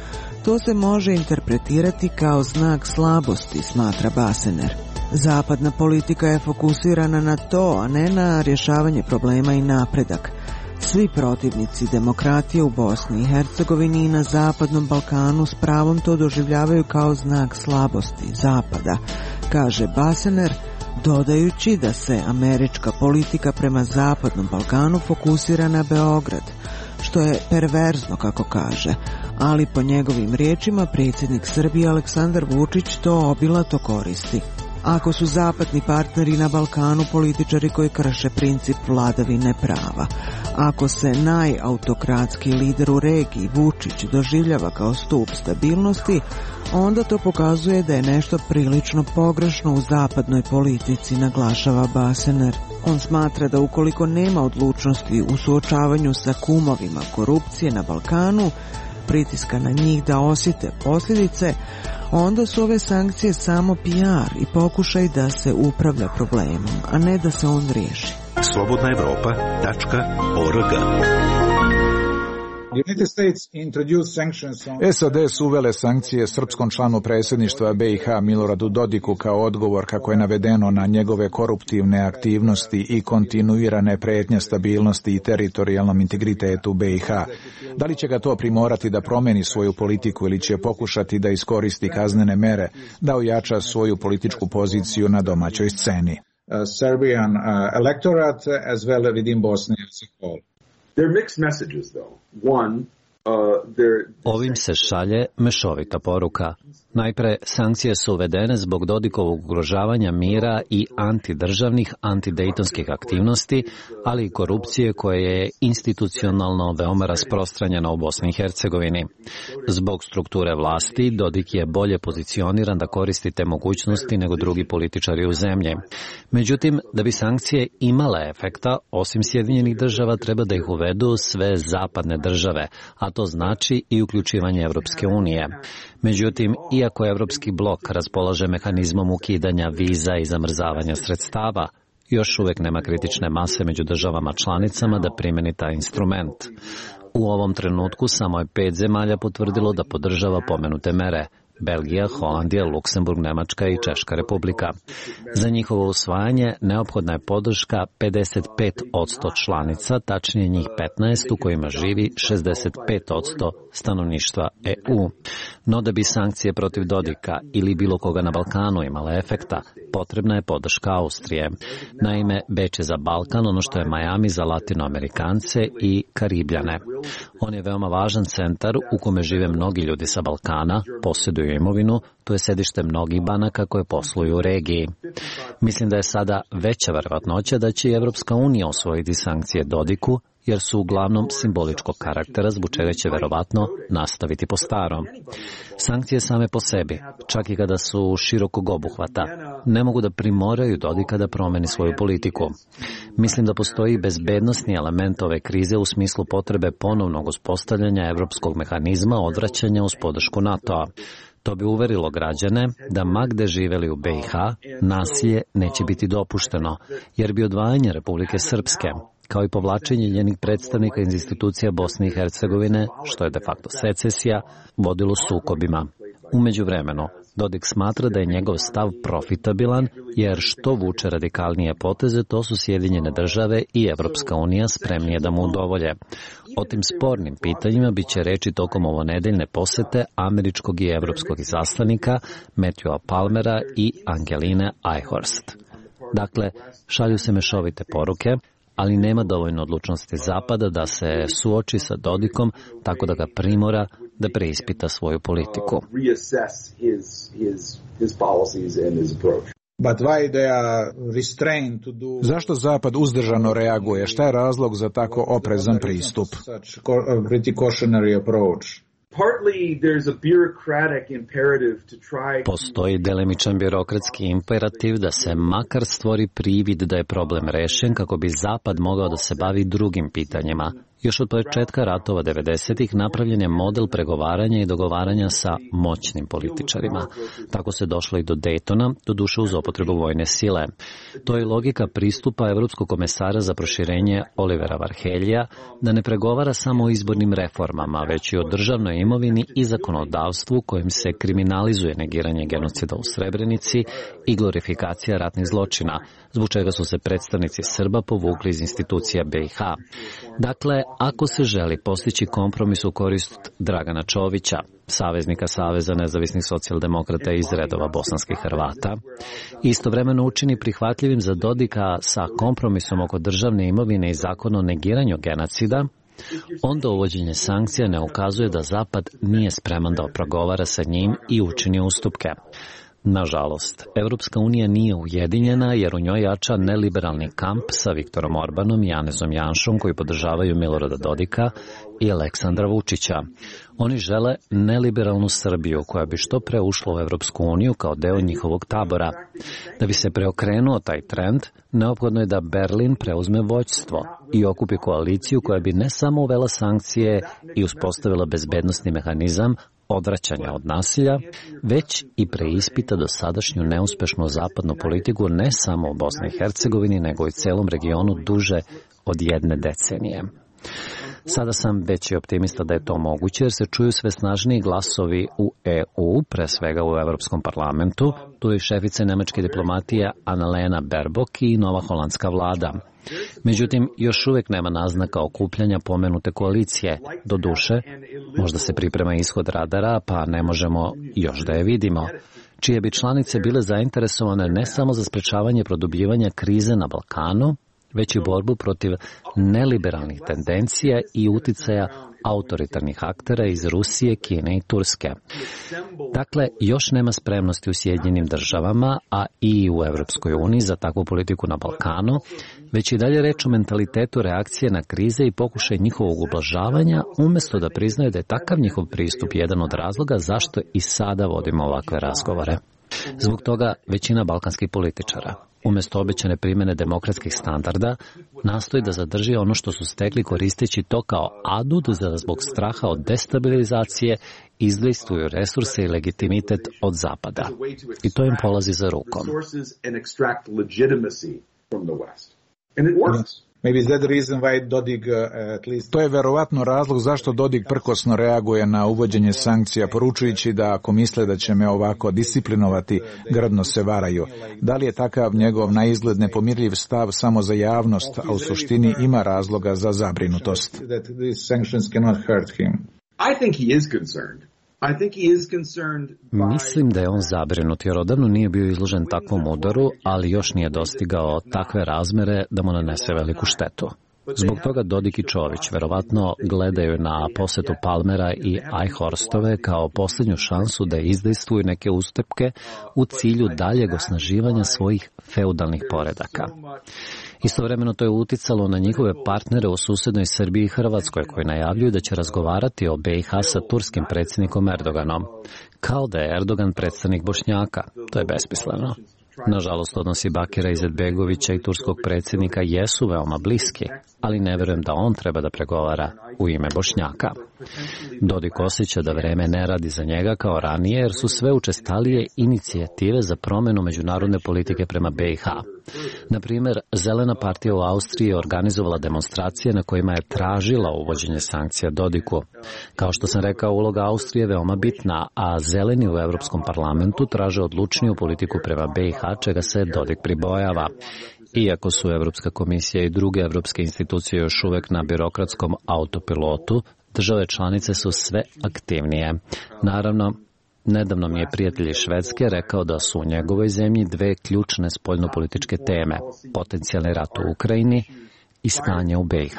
F: to se može interpretirati kao znak slabosti, smatra Basener. Zapadna politika je fokusirana na to, a ne na rješavanje problema i napredak. Svi protivnici demokratije u Bosni i Hercegovini i na Zapadnom Balkanu s pravom to doživljavaju kao znak slabosti Zapada, kaže Basener, dodajući da se američka politika prema Zapadnom Balkanu fokusira na Beograd, što je perverzno, kako kaže, ali po njegovim riječima predsjednik Srbije Aleksandar Vučić to obilato koristi. Ako su zapadni partneri na Balkanu političari koji krše princip vladavine prava, ako se najautokratski lider u regiji Vučić doživljava kao stup stabilnosti, onda to pokazuje da je nešto prilično pogrešno u zapadnoj politici, naglašava Basener. On smatra da ukoliko nema odlučnosti u suočavanju sa kumovima korupcije na Balkanu, pritiska na njih da osjete posljedice, onda su ove sankcije samo PR i pokušaj da se upravlja problemom, a ne da se on riješi.
V: slobodnaevropa.org.
A: SAD su uvele sankcije srpskom članu predsjedništva BiH Miloradu Dodiku kao odgovor, kako je navedeno, na njegove koruptivne aktivnosti i kontinuirane prijetnje stabilnosti i teritorijalnom integritetu BiH. Da li će ga to primorati da promeni svoju politiku ili će pokušati da iskoristi kaznene mere da ojača svoju političku poziciju na domaćoj sceni?
G: Serbian electorate as well within Bosnia as a whole. They're mixed messages, though. One,
H: Ovim se šalje mešovita poruka. Najpre, sankcije su uvedene zbog Dodikovog ugrožavanja mira i antidržavnih, antidejtonskih aktivnosti, ali i korupcije koja je institucionalno veoma rasprostranjena u Bosni i Hercegovini. Zbog strukture vlasti, Dodik je bolje pozicioniran da koristi te mogućnosti nego drugi političari u zemlji. Međutim, da bi sankcije imale efekta, osim Sjedinjenih država, treba da ih uvedu sve zapadne države, a to znači i uključivanje Evropske unije. Međutim, iako Evropski blok raspolaže mehanizmom ukidanja viza i zamrzavanja sredstava, još uvijek nema kritične mase među državama članicama da primeni taj instrument. U ovom trenutku samo je 5 zemalja potvrdilo da podržava pomenute mere: Belgija, Holandija, Luksemburg, Nemačka i Češka republika. Za njihovo usvajanje neophodna je podrška 55% članica, tačnije njih 15 u kojima živi 65% stanovništva EU. No da bi sankcije protiv Dodika ili bilo koga na Balkanu imale efekta, potrebna je podrška Austrije. Naime, Beč je za Balkan ono što je Miami za Latinoamerikance i Karibljane. On je veoma važan centar u kome žive mnogi ljudi sa Balkana, posjeduju imovinu, to je sedište mnogih banaka koje posluju u regiji. Mislim da je sada veća verovatnoća da će i Evropska unija osvojiti sankcije Dodiku, jer su uglavnom simboličkog karaktera, zbog čega će verovatno nastaviti po starom. Sankcije same po sebi, čak i kada su širokog obuhvata, ne mogu da primoraju Dodika da promeni svoju politiku. Mislim da postoji bezbednosni element ove krize u smislu potrebe ponovnog uspostavljanja evropskog mehanizma odvraćanja uz podršku NATO-a. To bi uverilo građane da ma gde živeli u BiH, nasilje neće biti dopušteno, jer bi odvajanje Republike Srpske, kao i povlačenje njenih predstavnika iz institucija Bosne i Hercegovine, što je de facto secesija, vodilo sukobima. U međuvremenu, Dodik smatra da je njegov stav profitabilan, jer što vuče radikalnije poteze, to su Sjedinjene države i Evropska unija spremnije da mu udovolje. O tim spornim pitanjima bit će reči tokom ovonedeljne posete američkog i evropskog izaslanika Matthewa Palmera i Angeline Eichhorst. Dakle, šalju se mešovite poruke, ali nema dovoljno odlučnosti Zapada da se suoči sa Dodikom tako da ga primora da preispita svoju politiku.
A: Zašto Zapad uzdržano reaguje? Šta je razlog za tako oprezan pristup?
H: Postoji delimičan birokratski imperativ da se makar stvori privid da je problem rešen kako bi Zapad mogao da se bavi drugim pitanjima. Još od početka ratova 90-ih napravljen je model pregovaranja i dogovaranja sa moćnim političarima. Tako se došlo i do Daytona, doduše uz upotrebu vojne sile. To je logika pristupa Evropskog komesara za proširenje Olivera Varheljija, da ne pregovara samo o izbornim reformama, već i o državnoj imovini i zakonodavstvu kojim se kriminalizuje negiranje genocida u Srebrenici i glorifikacija ratnih zločina, zbog čega su se predstavnici Srba povukli iz institucija BiH. Dakle, ako se želi postići kompromis u korist Dragana Čovića, saveznika Saveza nezavisnih socijaldemokrata iz redova bosanskih Hrvata, istovremeno učini prihvatljivim za Dodika sa kompromisom oko državne imovine i zakona o negiranju genocida, onda uvođenje sankcija ne ukazuje da Zapad nije spreman da pregovara sa njim i učini ustupke. Nažalost, Evropska unija nije ujedinjena jer u njoj jača neliberalni kamp sa Viktorom Orbanom i Janezom Janšom koji podržavaju Milorada Dodika i Aleksandra Vučića. Oni žele neliberalnu Srbiju koja bi što pre ušla u Evropsku uniju kao deo njihovog tabora. Da bi se preokrenuo taj trend, neophodno je da Berlin preuzme vođstvo i okupi koaliciju koja bi ne samo uvela sankcije i uspostavila bezbednosni mehanizam odvraćanja od nasilja, već i preispita dosadašnju neuspešnu zapadnu politiku ne samo u Bosni i Hercegovini, nego i celom regionu duže od 1 decenije. Sada sam veći optimista da je to moguće, jer se čuju sve snažniji glasovi u EU, pre svega u Evropskom parlamentu. Tu je i šefica nemačke diplomatije Annalena Baerbock i nova holandska vlada. Međutim, još uvek nema naznaka okupljanja pomenute koalicije. Doduše, možda se priprema ishod radara, pa ne možemo još da je vidimo, čije bi članice bile zainteresovane ne samo za sprečavanje produbljivanja krize na Balkanu, već i borbu protiv neliberalnih tendencija i uticaja autoritarnih aktera iz Rusije, Kine i Turske. Dakle, još nema spremnosti u Sjedinjenim državama, a i u Evropskoj uniji za takvu politiku na Balkanu, već i dalje reč o mentalitetu reakcije na krize i pokušaj njihovog ublažavanja, umjesto da priznaju da je takav njihov pristup jedan od razloga zašto i sada vodimo ovakve razgovore. Zbog toga većina balkanskih političara, umjesto obećane primjene demokratskih standarda, nastoji da zadrži ono što su stekli koristeći to kao adut da zbog straha od destabilizacije izdejstvuju resurse i legitimitet od Zapada. I to im polazi za rukom.
A: To je verovatno razlog zašto Dodik prkosno reaguje na uvođenje sankcija, poručujući da ako misle da će me ovako disciplinovati, grdno se varaju. Da li je takav njegov na izgled nepomirljiv stav samo za javnost, a u suštini ima razloga za zabrinutost?
H: Mislim da je on zabrinut jer odavno nije bio izložen takvom udaru, ali još nije dostigao takve razmere da mu nanese veliku štetu. Zbog toga Dodik i Čović verovatno gledaju na posetu Palmera i Eichhorstove kao posljednju šansu da izdejstvuju neke ustupke u cilju daljeg osnaživanja svojih feudalnih poredaka. Istovremeno to je uticalo na njihove partnere u susednoj Srbiji i Hrvatskoj, koji najavljuju da će razgovarati o BiH sa turskim predsjednikom Erdoganom. Kao da je Erdogan predstavnik Bošnjaka. To je besmisleno. Nažalost, odnosi Bakira Izetbegovića i turskog predsjednika jesu veoma bliski, ali ne verujem da on treba da pregovara u ime Bošnjaka. Dodik osjeća da vreme ne radi za njega kao ranije, jer su sve učestalije inicijative za promjenu međunarodne politike prema BiH. Na primjer, Zelena partija u Austriji je organizovala demonstracije na kojima je tražila uvođenje sankcija Dodiku. Kao što sam rekao, uloga Austrije je veoma bitna, a Zeleni u Europskom parlamentu traže odlučniju politiku prema BiH, čega se Dodik pribojava. Iako su Europska komisija i druge evropske institucije još uvek na birokratskom autopilotu, države članice su sve aktivnije. Naravno, nedavno mi je prijatelj iz Švedske rekao da su u njegovoj zemlji dve ključne spoljnopolitičke teme, potencijalni rat u Ukrajini i stanje u BiH.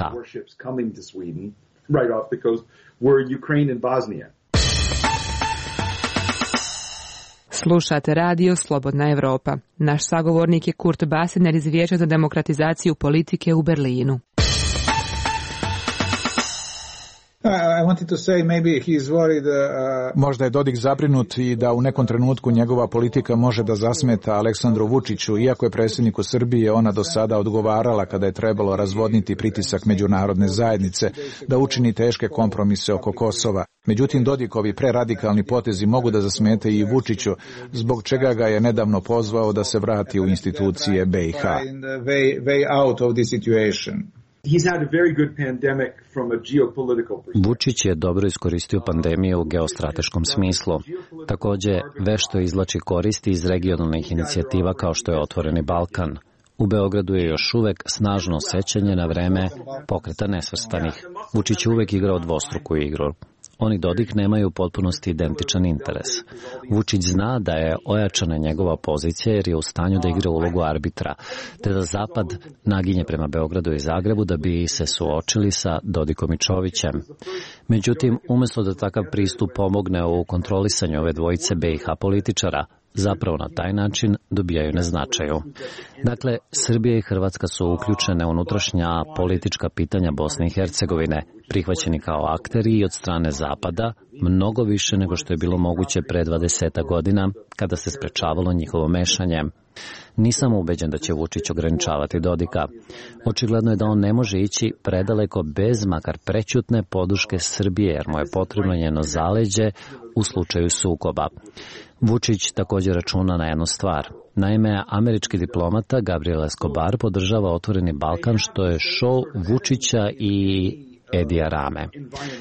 Z: Slušate radio Slobodna Evropa. Naš sagovornik je Kurt Basener iz Vijeća za demokratizaciju politike u Berlinu.
A: Možda je Dodik zabrinut i da u nekom trenutku njegova politika može da zasmeta Aleksandru Vučiću, iako je predsjedniku Srbije ona do sada odgovarala kada je trebalo razvodniti pritisak međunarodne zajednice da učini teške kompromise oko Kosova. Međutim, Dodikovi preradikalni potezi mogu da zasmete i Vučiću, zbog čega ga je nedavno pozvao da se vrati u institucije BiH.
H: Vučić je dobro iskoristio pandemiju u geostrateškom smislu. Također, vešto izvlači koristi iz regionalnih inicijativa kao što je Otvoreni Balkan. U Beogradu je još uvek snažno sećanje na vreme Pokreta nesvrstanih. Vučić je uvek igrao dvostruku igru. Oni Dodik nemaju u potpunosti identičan interes. Vučić zna da je ojačana njegova pozicija jer je u stanju da igra ulogu arbitra, te da Zapad naginje prema Beogradu i Zagrebu da bi se suočili sa Dodikom i Čovićem. Međutim, umjesto da takav pristup pomogne u kontrolisanju ove dvojice BiH političara, zapravo na taj način dobijaju na značaju. Dakle, Srbija i Hrvatska su uključene u unutrašnja politička pitanja Bosne i Hercegovine, prihvaćeni kao akteri i od strane Zapada, mnogo više nego što je bilo moguće pre 20 godina, kada se sprečavalo njihovo mešanje. Nisam ubeđen da će Vučić ograničavati Dodika. Očigledno je da on ne može ići predaleko bez makar prećutne poduške Srbije, jer mu je potrebno njeno zaleđe u slučaju sukoba. Vučić također računa na jednu stvar. Naime, američki diplomata Gabriel Escobar podržava Otvoreni Balkan, što je šou Vučića i Edija Rame.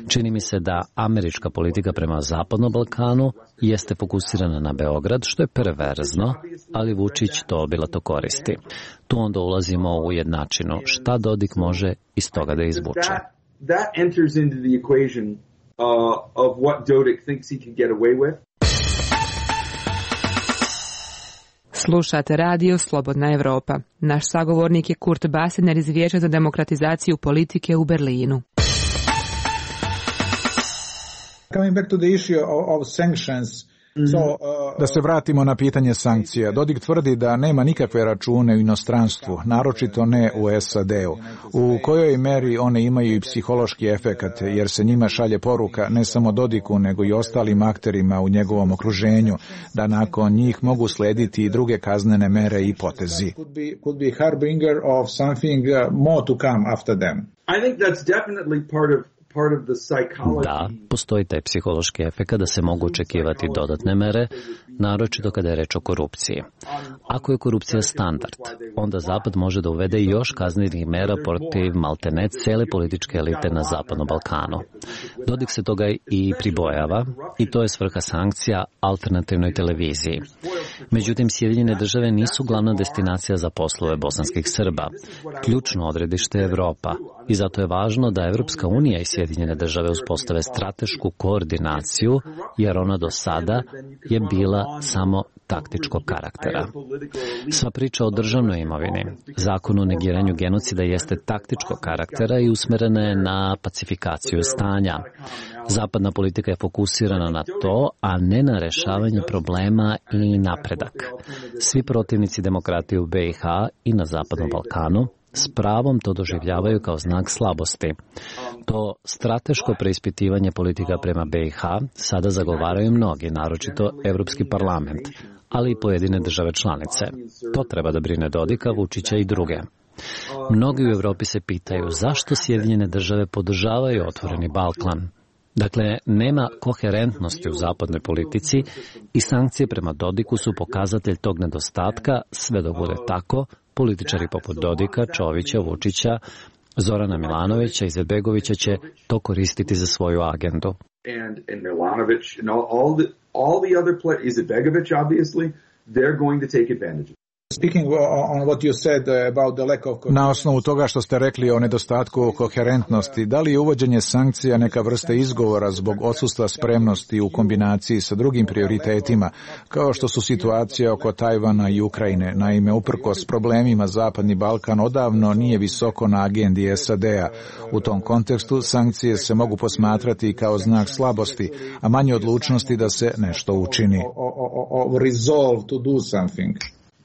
H: Čini mi se da američka politika prema Zapadnom Balkanu jeste fokusirana na Beograd, što je perverzno, ali Vučić to obilato koristi. Tu onda ulazimo u jednačinu. Šta Dodik može iz toga da izvuče?
B: That enters into the equation of what Dodik thinks he can get away with.
Z: Slušate radio Slobodna Evropa. Naš sagovornik je Kurt Basener iz Vijeća za demokratizaciju politike u Berlinu.
A: Coming back to the issue of sanctions, da se vratimo na pitanje sankcija. Dodik tvrdi da nema nikakve račune u inostranstvu, naročito ne u SAD-u. U kojoj meri one imaju i psihološki efekat, jer se njima šalje poruka ne samo Dodiku, nego i ostalim akterima u njegovom okruženju, da nakon njih mogu slediti i druge kaznene mere i potezi. Could be harbinger of something more to come after them.
B: I think that's definitely part of
H: Da, postoji taj psihološki efekt da se mogu očekivati dodatne mere, naročito kada je reč o korupciji. Ako je korupcija standard, onda Zapad može da uvede još kaznenih mera protiv maltene cele političke elite na Zapadnom Balkanu. Dodik se toga i pribojava i to je svrha sankcija alternativnoj televiziji. Međutim, Sjedinjene države nisu glavna destinacija za poslove bosanskih Srba. Ključno odredište je Evropa i zato je važno da Evropska unija i Sjedinjene države uspostave stratešku koordinaciju, jer ona do sada je bila samo taktičkog karaktera. Sva priča o državnoj imovini, zakon o negiranju genocida jeste taktičkog karaktera i usmerena je na pacifikaciju stanja. Zapadna politika je fokusirana na to, a ne na rešavanje problema i napredak. Svi protivnici demokratije u BiH i na Zapadnom Balkanu S pravom to doživljavaju kao znak slabosti. To strateško preispitivanje politika prema BiH sada zagovaraju mnogi, naročito Evropski parlament, ali i pojedine države članice. To treba da brine Dodika, Vučića i druge. Mnogi u Evropi se pitaju zašto Sjedinjene države podržavaju otvoreni Balkan. Dakle, nema koherentnosti u zapadnoj politici i sankcije prema Dodiku su pokazatelj tog nedostatka. Sve dok bude tako, političari poput Dodika, Čovića, Vučića, Zorana Milanovića i Izetbegovića će to koristiti za svoju agendu.
B: And Milanović and all the other players, Izetbegović obviously, they're going to take advantage.
A: Na osnovu toga što ste rekli o nedostatku koherentnosti, da li je uvođenje sankcija neka vrsta izgovora zbog odsustva spremnosti u kombinaciji sa drugim prioritetima, kao što su situacija oko Tajvana i Ukrajine? Naime, uprkos problemima Zapadni Balkan odavno nije visoko na agendi SAD-a. U tom kontekstu sankcije se mogu posmatrati kao znak slabosti, a manje odlučnosti da se nešto učini.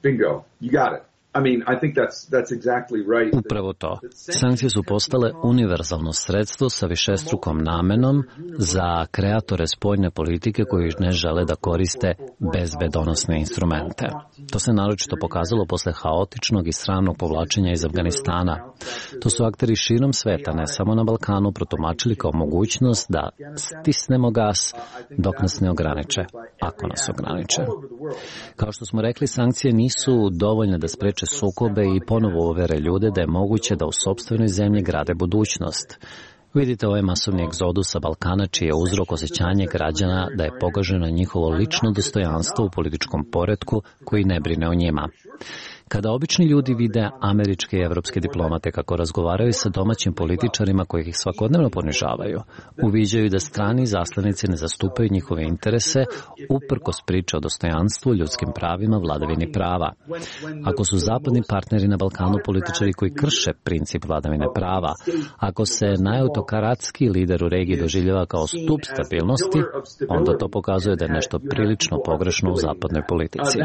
B: Bingo, you got it. I mean, I think that's exactly right.
H: Upravo to. Sankcije su postale univerzalno sredstvo sa višestrukom namenom za kreatore spoljne politike koji ne žele da koriste bezbedonosne instrumente. To se naročito pokazalo posle haotičnog i sramnog povlačenja iz Afganistana. To su akteri širom sveta, ne samo na Balkanu, protumačili kao mogućnost da stisnemo gas dok nas ne ograniče, ako nas ograniče. Kao što smo rekli, sankcije nisu dovoljne da spreče sukobe i ponovo uvere ljude da je moguće da u sopstvenoj zemlji grade budućnost. Vidite ovaj masovni egzodus sa Balkana, čiji je uzrok osjećanje građana da je pogaženo njihovo lično dostojanstvo u političkom poretku koji ne brine o njima. Kada obični ljudi vide američke i evropske diplomate kako razgovaraju sa domaćim političarima koji ih svakodnevno ponižavaju, uviđaju da strani izaslanici ne zastupaju njihove interese uprkos priče o dostojanstvu, ljudskim pravima, vladavini prava. Ako su zapadni partneri na Balkanu političari koji krše princip vladavine prava, ako se najautokratski lider u regiji doživljava kao stup stabilnosti, onda to pokazuje da je nešto prilično pogrešno u zapadnoj politici.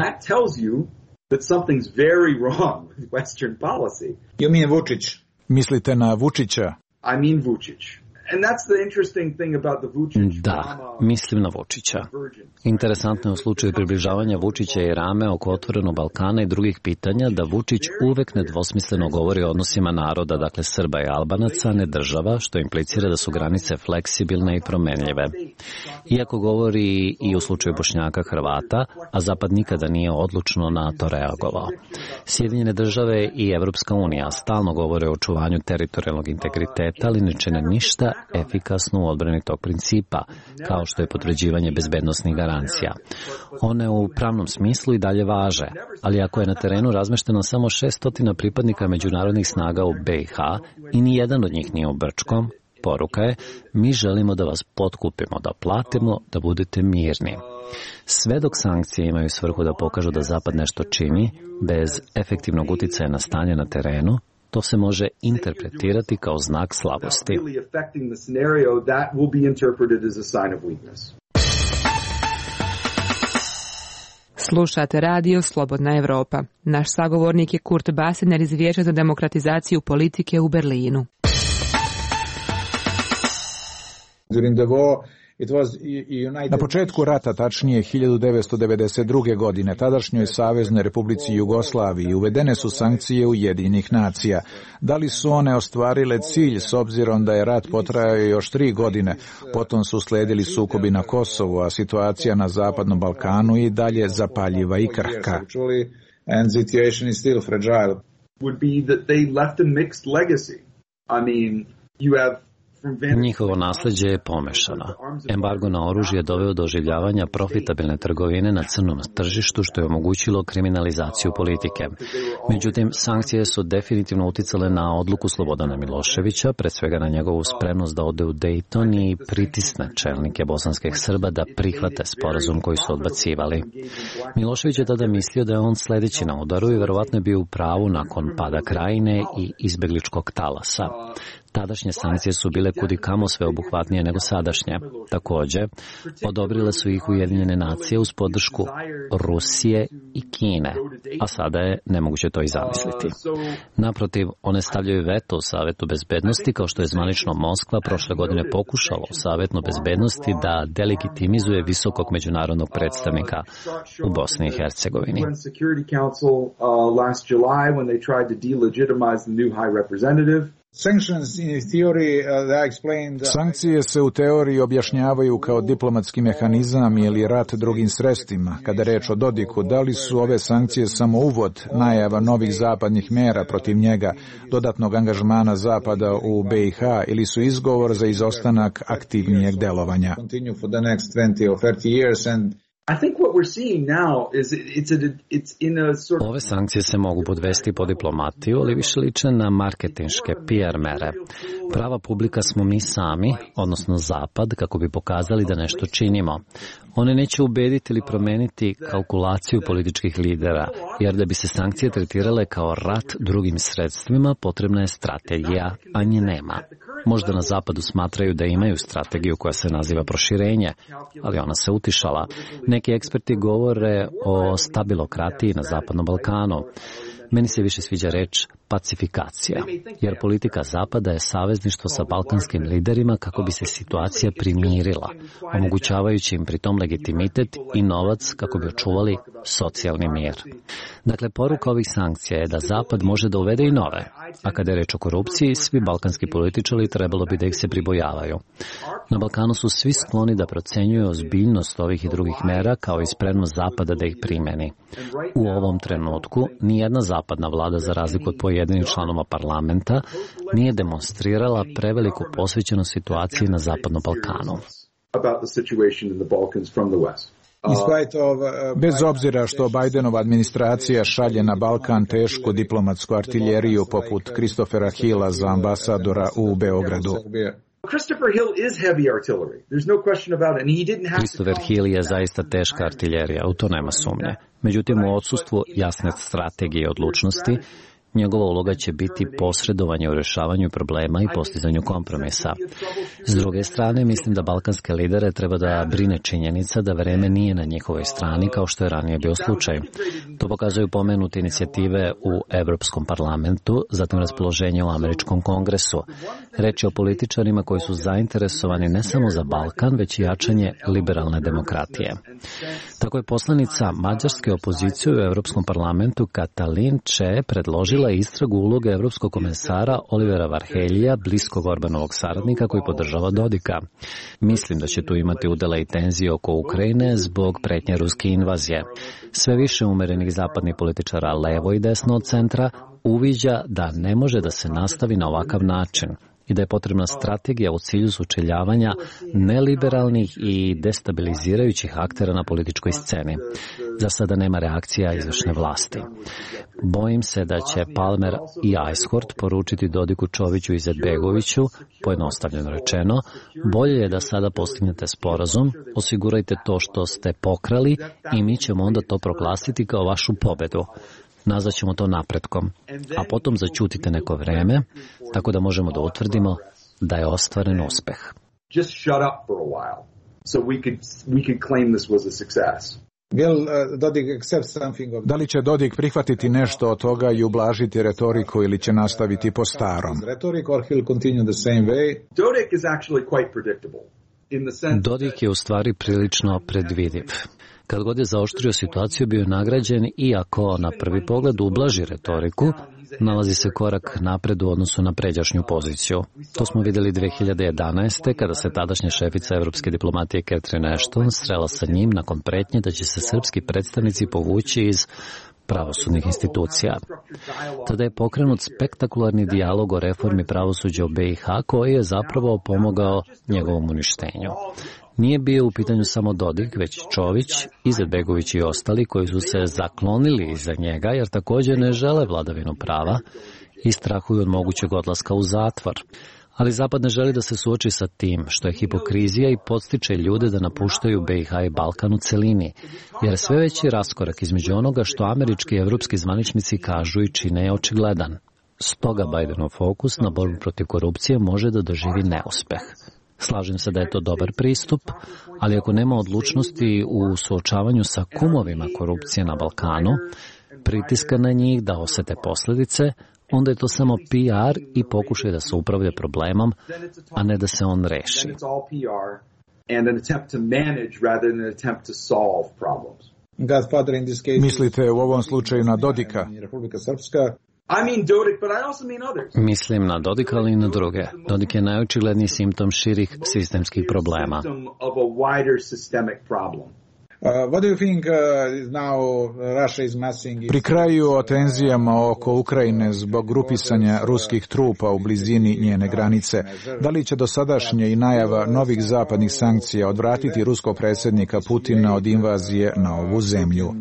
B: That something's very wrong with Western policy.
A: You mean Vučić? Mislite na Vučića?
B: I mean Vučić. And that's the interesting thing about the Vučić.
H: Da, mislim na Vučića. Interesantno je u slučaju približavanja Vučića i Rame oko otvorenog Balkana i drugih pitanja da Vučić uvek nedvosmisleno govori o odnosima naroda, dakle Srba i Albanaca, a ne država, što implicira da su granice fleksibilne i promenljive. Iako govori i u slučaju Bošnjaka Hrvata, a Zapad nikada nije odlučno na to reagovao. Sjedinjene države i Evropska unija stalno govore o očuvanju teritorijalnog integriteta, ali ne čine ništa efikasno u odbrani tog principa, kao što je potvrđivanje bezbednosnih garancija. One u pravnom smislu i dalje važe, ali ako je na terenu razmešteno samo 600 pripadnika međunarodnih snaga u BiH i ni jedan od njih nije u Brčkom, poruka je: mi želimo da vas potkupimo, da platimo, da budete mirni. Sve dok sankcije imaju svrhu da pokažu da Zapad nešto čini, bez efektivnog uticaja na stanje na terenu, to se može interpretirati kao znak slabosti.
Z: Slušate radio Slobodna Evropa. Naš sagovornik je Kurt Basener iz Vijeća za demokratizaciju politike u Berlinu.
A: Na početku rata, tačnije 1992. godine, tadašnjoj Saveznoj Republici Jugoslaviji uvedene su sankcije Ujedinjenih nacija. Da li su one ostvarile cilj s obzirom da je rat potrajao još 3 godine, potom su sledili sukobi na Kosovu, a situacija na Zapadnom Balkanu i dalje zapaljiva i krhka.
H: Njihovo nasljeđe je pomešano. Embargo na oružje je doveo do oživljavanja profitabilne trgovine na crnom tržištu, što je omogućilo kriminalizaciju politike. Međutim, sankcije su definitivno uticale na odluku Slobodana Miloševića, pre svega na njegovu spremnost da ode u Dejton i pritisne čelnike bosanskih Srba da prihvate sporazum koji su odbacivali. Milošević je tada mislio da je on sledeći na udaru i verovatno je bio u pravu nakon pada Krajine i izbegličkog talasa. Tadašnje sankcije su bile kudikamo sveobuhvatnije nego sadašnje. Također, odobrile su ih Ujedinjene nacije uz podršku Rusije i Kine, a sada je nemoguće to i zamisliti. Naprotiv, one stavljaju veto u Savetu bezbednosti, kao što je zvanično Moskva prošle godine pokušala u Savetu bezbednosti da delegitimizuje visokog međunarodnog predstavnika u Bosni i Hercegovini.
A: Sankcije se u teoriji objašnjavaju kao diplomatski mehanizam ili rat drugim sredstvima. Kada je reč o Dodiku, da li su ove sankcije samo uvod, najava novih zapadnih mera protiv njega, dodatnog angažmana Zapada u BiH ili su izgovor za izostanak aktivnijeg delovanja?
H: Ove sankcije se mogu podvesti pod diplomatiju, ali više liče na marketinške PR mere. Prava publika smo mi sami, odnosno Zapad, kako bi pokazali da nešto činimo. One neće ubediti ili promeniti kalkulaciju političkih lidera, jer da bi se sankcije tretirale kao rat drugim sredstvima, potrebna je strategija, a nje nema. Možda na Zapadu smatraju da imaju strategiju koja se naziva proširenje, ali ona se utišala. Neki eksperti govore o stabilokratiji na Zapadnom Balkanu. Meni se više sviđa reč pacifikacija, jer politika Zapada je savezništvo sa balkanskim liderima kako bi se situacija primirila, omogućavajući im pritom legitimitet i novac kako bi očuvali socijalni mir. Dakle, poruka ovih sankcija je da Zapad može da uvede i nove, a kada je reč o korupciji, svi balkanski političari trebalo bi da ih se pribojavaju. Na Balkanu su svi skloni da procenjuju ozbiljnost ovih i drugih mera kao i spremnost Zapada da ih primeni. U ovom trenutku nijedna zapadna vlada, za razliku od pojedinih članova parlamenta, nije demonstrirala preveliku posvećenost situaciji na Zapadnom Balkanu.
A: Bez obzira što Bidenova administracija šalje na Balkan tešku diplomatsku artiljeriju poput Christophera Hilla za ambasadora u Beogradu.
H: Christopher Hill je zaista teška artiljerija, u to nema sumnje. Međutim, u odsustvu jasne strategije i odlučnosti, njegova uloga će biti posredovanje u rješavanju problema i postizanju kompromisa. S druge strane, mislim da balkanske lidere treba da brine činjenica da vreme nije na njihovoj strani kao što je ranije bio slučaj. To pokazuju pomenute inicijative u Evropskom parlamentu, zatim raspoloženje u Američkom kongresu. Reč je o političarima koji su zainteresovani ne samo za Balkan, već i jačanje liberalne demokratije. Tako je poslanica mađarske opozicije u Evropskom parlamentu Katalin Če predložila istragu uloge evropskog komesara Olivera Varheljija, bliskog Orbanovog saradnika koji podržava Dodika. Mislim da će tu imati udela i tenzije oko Ukrajine zbog pretnje ruske invazije. Sve više umerenih zapadnih političara levo i desno od centra uviđa da ne može da se nastavi na ovakav način i da je potrebna strategija u cilju sučeljavanja neliberalnih i destabilizirajućih aktera na političkoj sceni. Za sada nema reakcija izvršne vlasti. Bojim se da će Palmer i Ajshort poručiti Dodiku, Čoviću i Izetbegoviću, pojednostavljeno rečeno, bolje je da sada postignete sporazum, osigurajte to što ste pokrali i mi ćemo onda to proglasiti kao vašu pobedu. Nazvaćemo to napretkom, a potom zaćutite neko vreme, tako da možemo da utvrdimo da je ostvaren uspeh.
A: Da li će Dodik prihvatiti nešto od toga i ublažiti retoriku ili će nastaviti po starom?
H: Dodik je u stvari prilično predvidiv. Kad god je zaoštrio situaciju, bio je nagrađen, iako na prvi pogled ublaži retoriku, nalazi se korak napred u odnosu na pređašnju poziciju. To smo vidjeli 2011. kada se tadašnja šefica evropske diplomatije Catherine Ashton srela sa njim nakon pretnje da će se srpski predstavnici povući iz pravosudnih institucija. Tada je pokrenut spektakularni dijalog o reformi pravosuđa u BiH koji je zapravo pomogao njegovom uništenju. Nije bio u pitanju samo Dodik, već Čović, Izetbegović i ostali koji su se zaklonili iza njega jer također ne žele vladavinu prava i strahuju od mogućeg odlaska u zatvor. Ali Zapad ne želi da se suoči sa tim, što je hipokrizija i podstiče ljude da napuštaju BiH i Balkan u celini, jer sve veći raskorak između onoga što američki i evropski zvaničnici kažu i čine je očigledan. Stoga Bidenov fokus na borbu protiv korupcije može da doživi neuspeh. Slažem se da je to dobar pristup, ali ako nema odlučnosti u suočavanju sa kumovima korupcije na Balkanu, pritiska na njih da osete posljedice, onda je to samo PR i pokušaj da se upravlja problemom, a ne da se on reši.
A: Mislite u ovom slučaju na Dodika?
H: Mislim na Dodika, ali i na druge. Dodik je najočigledniji simptom širih sistemskih problema.
A: Pri kraju o tenzijama oko Ukrajine zbog grupisanja ruskih trupa u blizini njene granice, da li će dosadašnje i najava novih zapadnih sankcija odvratiti ruskog predsjednika Putina od invazije na ovu zemlju?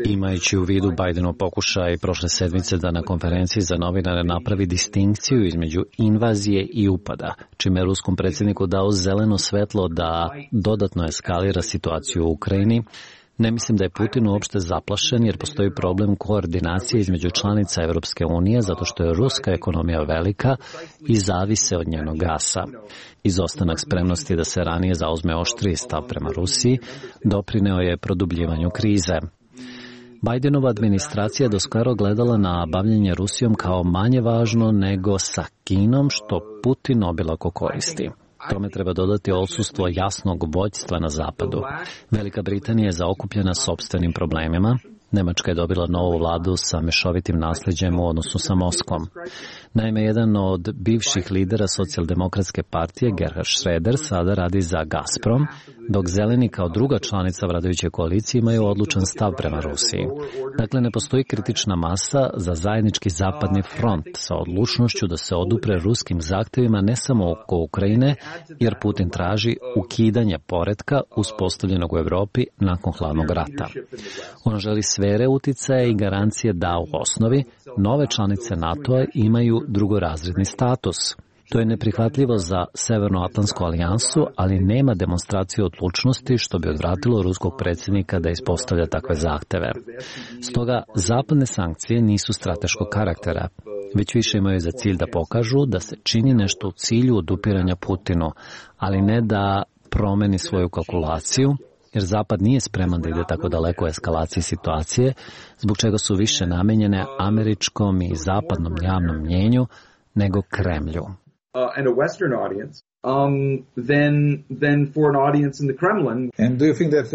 H: Imajući u vidu Bidenov pokušaj prošle sedmice da na konferenciji za novinare napravi distinkciju između invazije i upada, čime je ruskom predsjedniku dao zeleno svetlo da dodatno eskalira situaciju u Ukrajini, ne mislim da je Putin uopšte zaplašen jer postoji problem koordinacije između članica Evropske unije zato što je ruska ekonomija velika i zavise od njenog gasa. Izostanak spremnosti da se ranije zauzme oštriji stav prema Rusiji doprineo je produbljivanju krize. Bidenova administracija je doskoro gledala na bavljenje Rusijom kao manje važno nego sa Kinom, što Putin obilako koristi. Tome treba dodati odsustvo jasnog vođstva na zapadu. Velika Britanija je zaokupljena sopstvenim problemima. Nemačka je dobila novu vladu sa mešovitim nasljeđem u odnosu sa Moskvom. Naime, jedan od bivših lidera socijaldemokratske partije, Gerhard Schröder, sada radi za Gazprom, dok Zeleni kao druga članica vladajuće koalicije imaju odlučan stav prema Rusiji. Dakle, ne postoji kritična masa za zajednički zapadni front sa odlučnošću da se odupre ruskim zahtjevima ne samo oko Ukrajine, jer Putin traži ukidanje poretka uspostavljenog u Europi nakon hladnog rata. On želi sfere uticaja i garancije da u osnovi nove članice NATO-a imaju drugorazredni status. To je neprihvatljivo za Severnoatlantsku alijansu, ali nema demonstracije odlučnosti što bi odvratilo ruskog predsjednika da ispostavlja takve zahteve. Stoga, zapadne sankcije nisu strateškog karaktera, već više imaju za cilj da pokažu da se čini nešto u cilju odupiranja Putinu, ali ne da promeni svoju kalkulaciju, jer Zapad nije spreman da ide tako daleko u eskalaciji situacije, zbog čega su više namenjene američkom i zapadnom javnom mnjenju nego Kremlju.
B: And a Western audience, than for an audience in the Kremlin.
A: And do you think that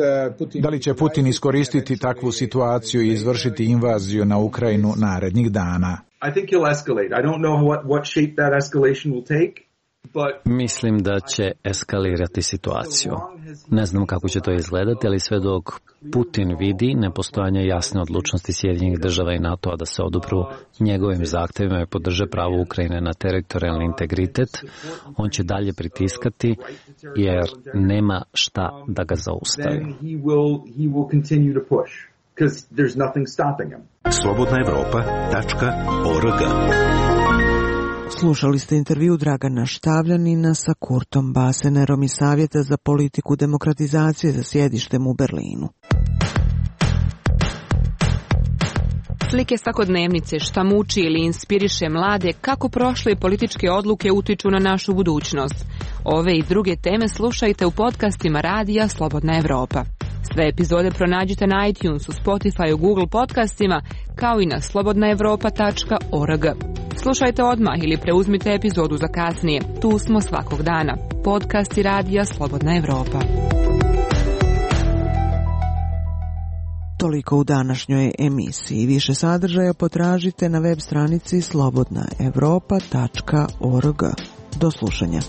A: da li će Putin iskoristiti takvu situaciju i izvršiti invaziju na Ukrajinu narednih dana?
B: I think he'll escalate. I don't know what shape that escalation will take.
H: Mislim da će eskalirati situaciju. Ne znam kako će to izgledati, ali sve dok Putin vidi nepostojanje jasne odlučnosti Sjedinjenih država i NATO-a da se odupru njegovim zahtjevima i podrže pravo Ukrajine na teritorijalni integritet, on će dalje pritiskati jer nema šta da ga zaustavi.
V: slobodnaevropa.org.
F: Slušali ste intervju Dragana Štavljanina sa Kurtom Basenerom iz Savjeta za politiku demokratizacije za sjedištem u Berlinu.
Z: Slike svakodnevnice, šta muči ili inspiriše mlade, kako prošle političke odluke utiču na našu budućnost. Ove i druge teme slušajte u podcastima Radija Slobodna Evropa. Sve epizode pronađite na iTunesu, Spotify, Google podcastima, kao i na slobodnaevropa.org. Slušajte odmah ili preuzmite epizodu za kasnije. Tu smo svakog dana. Podcasti Radija Slobodna Evropa.
F: Toliko u današnjoj emisiji. Više sadržaja potražite na web stranici slobodnaevropa.org. Do slušanja.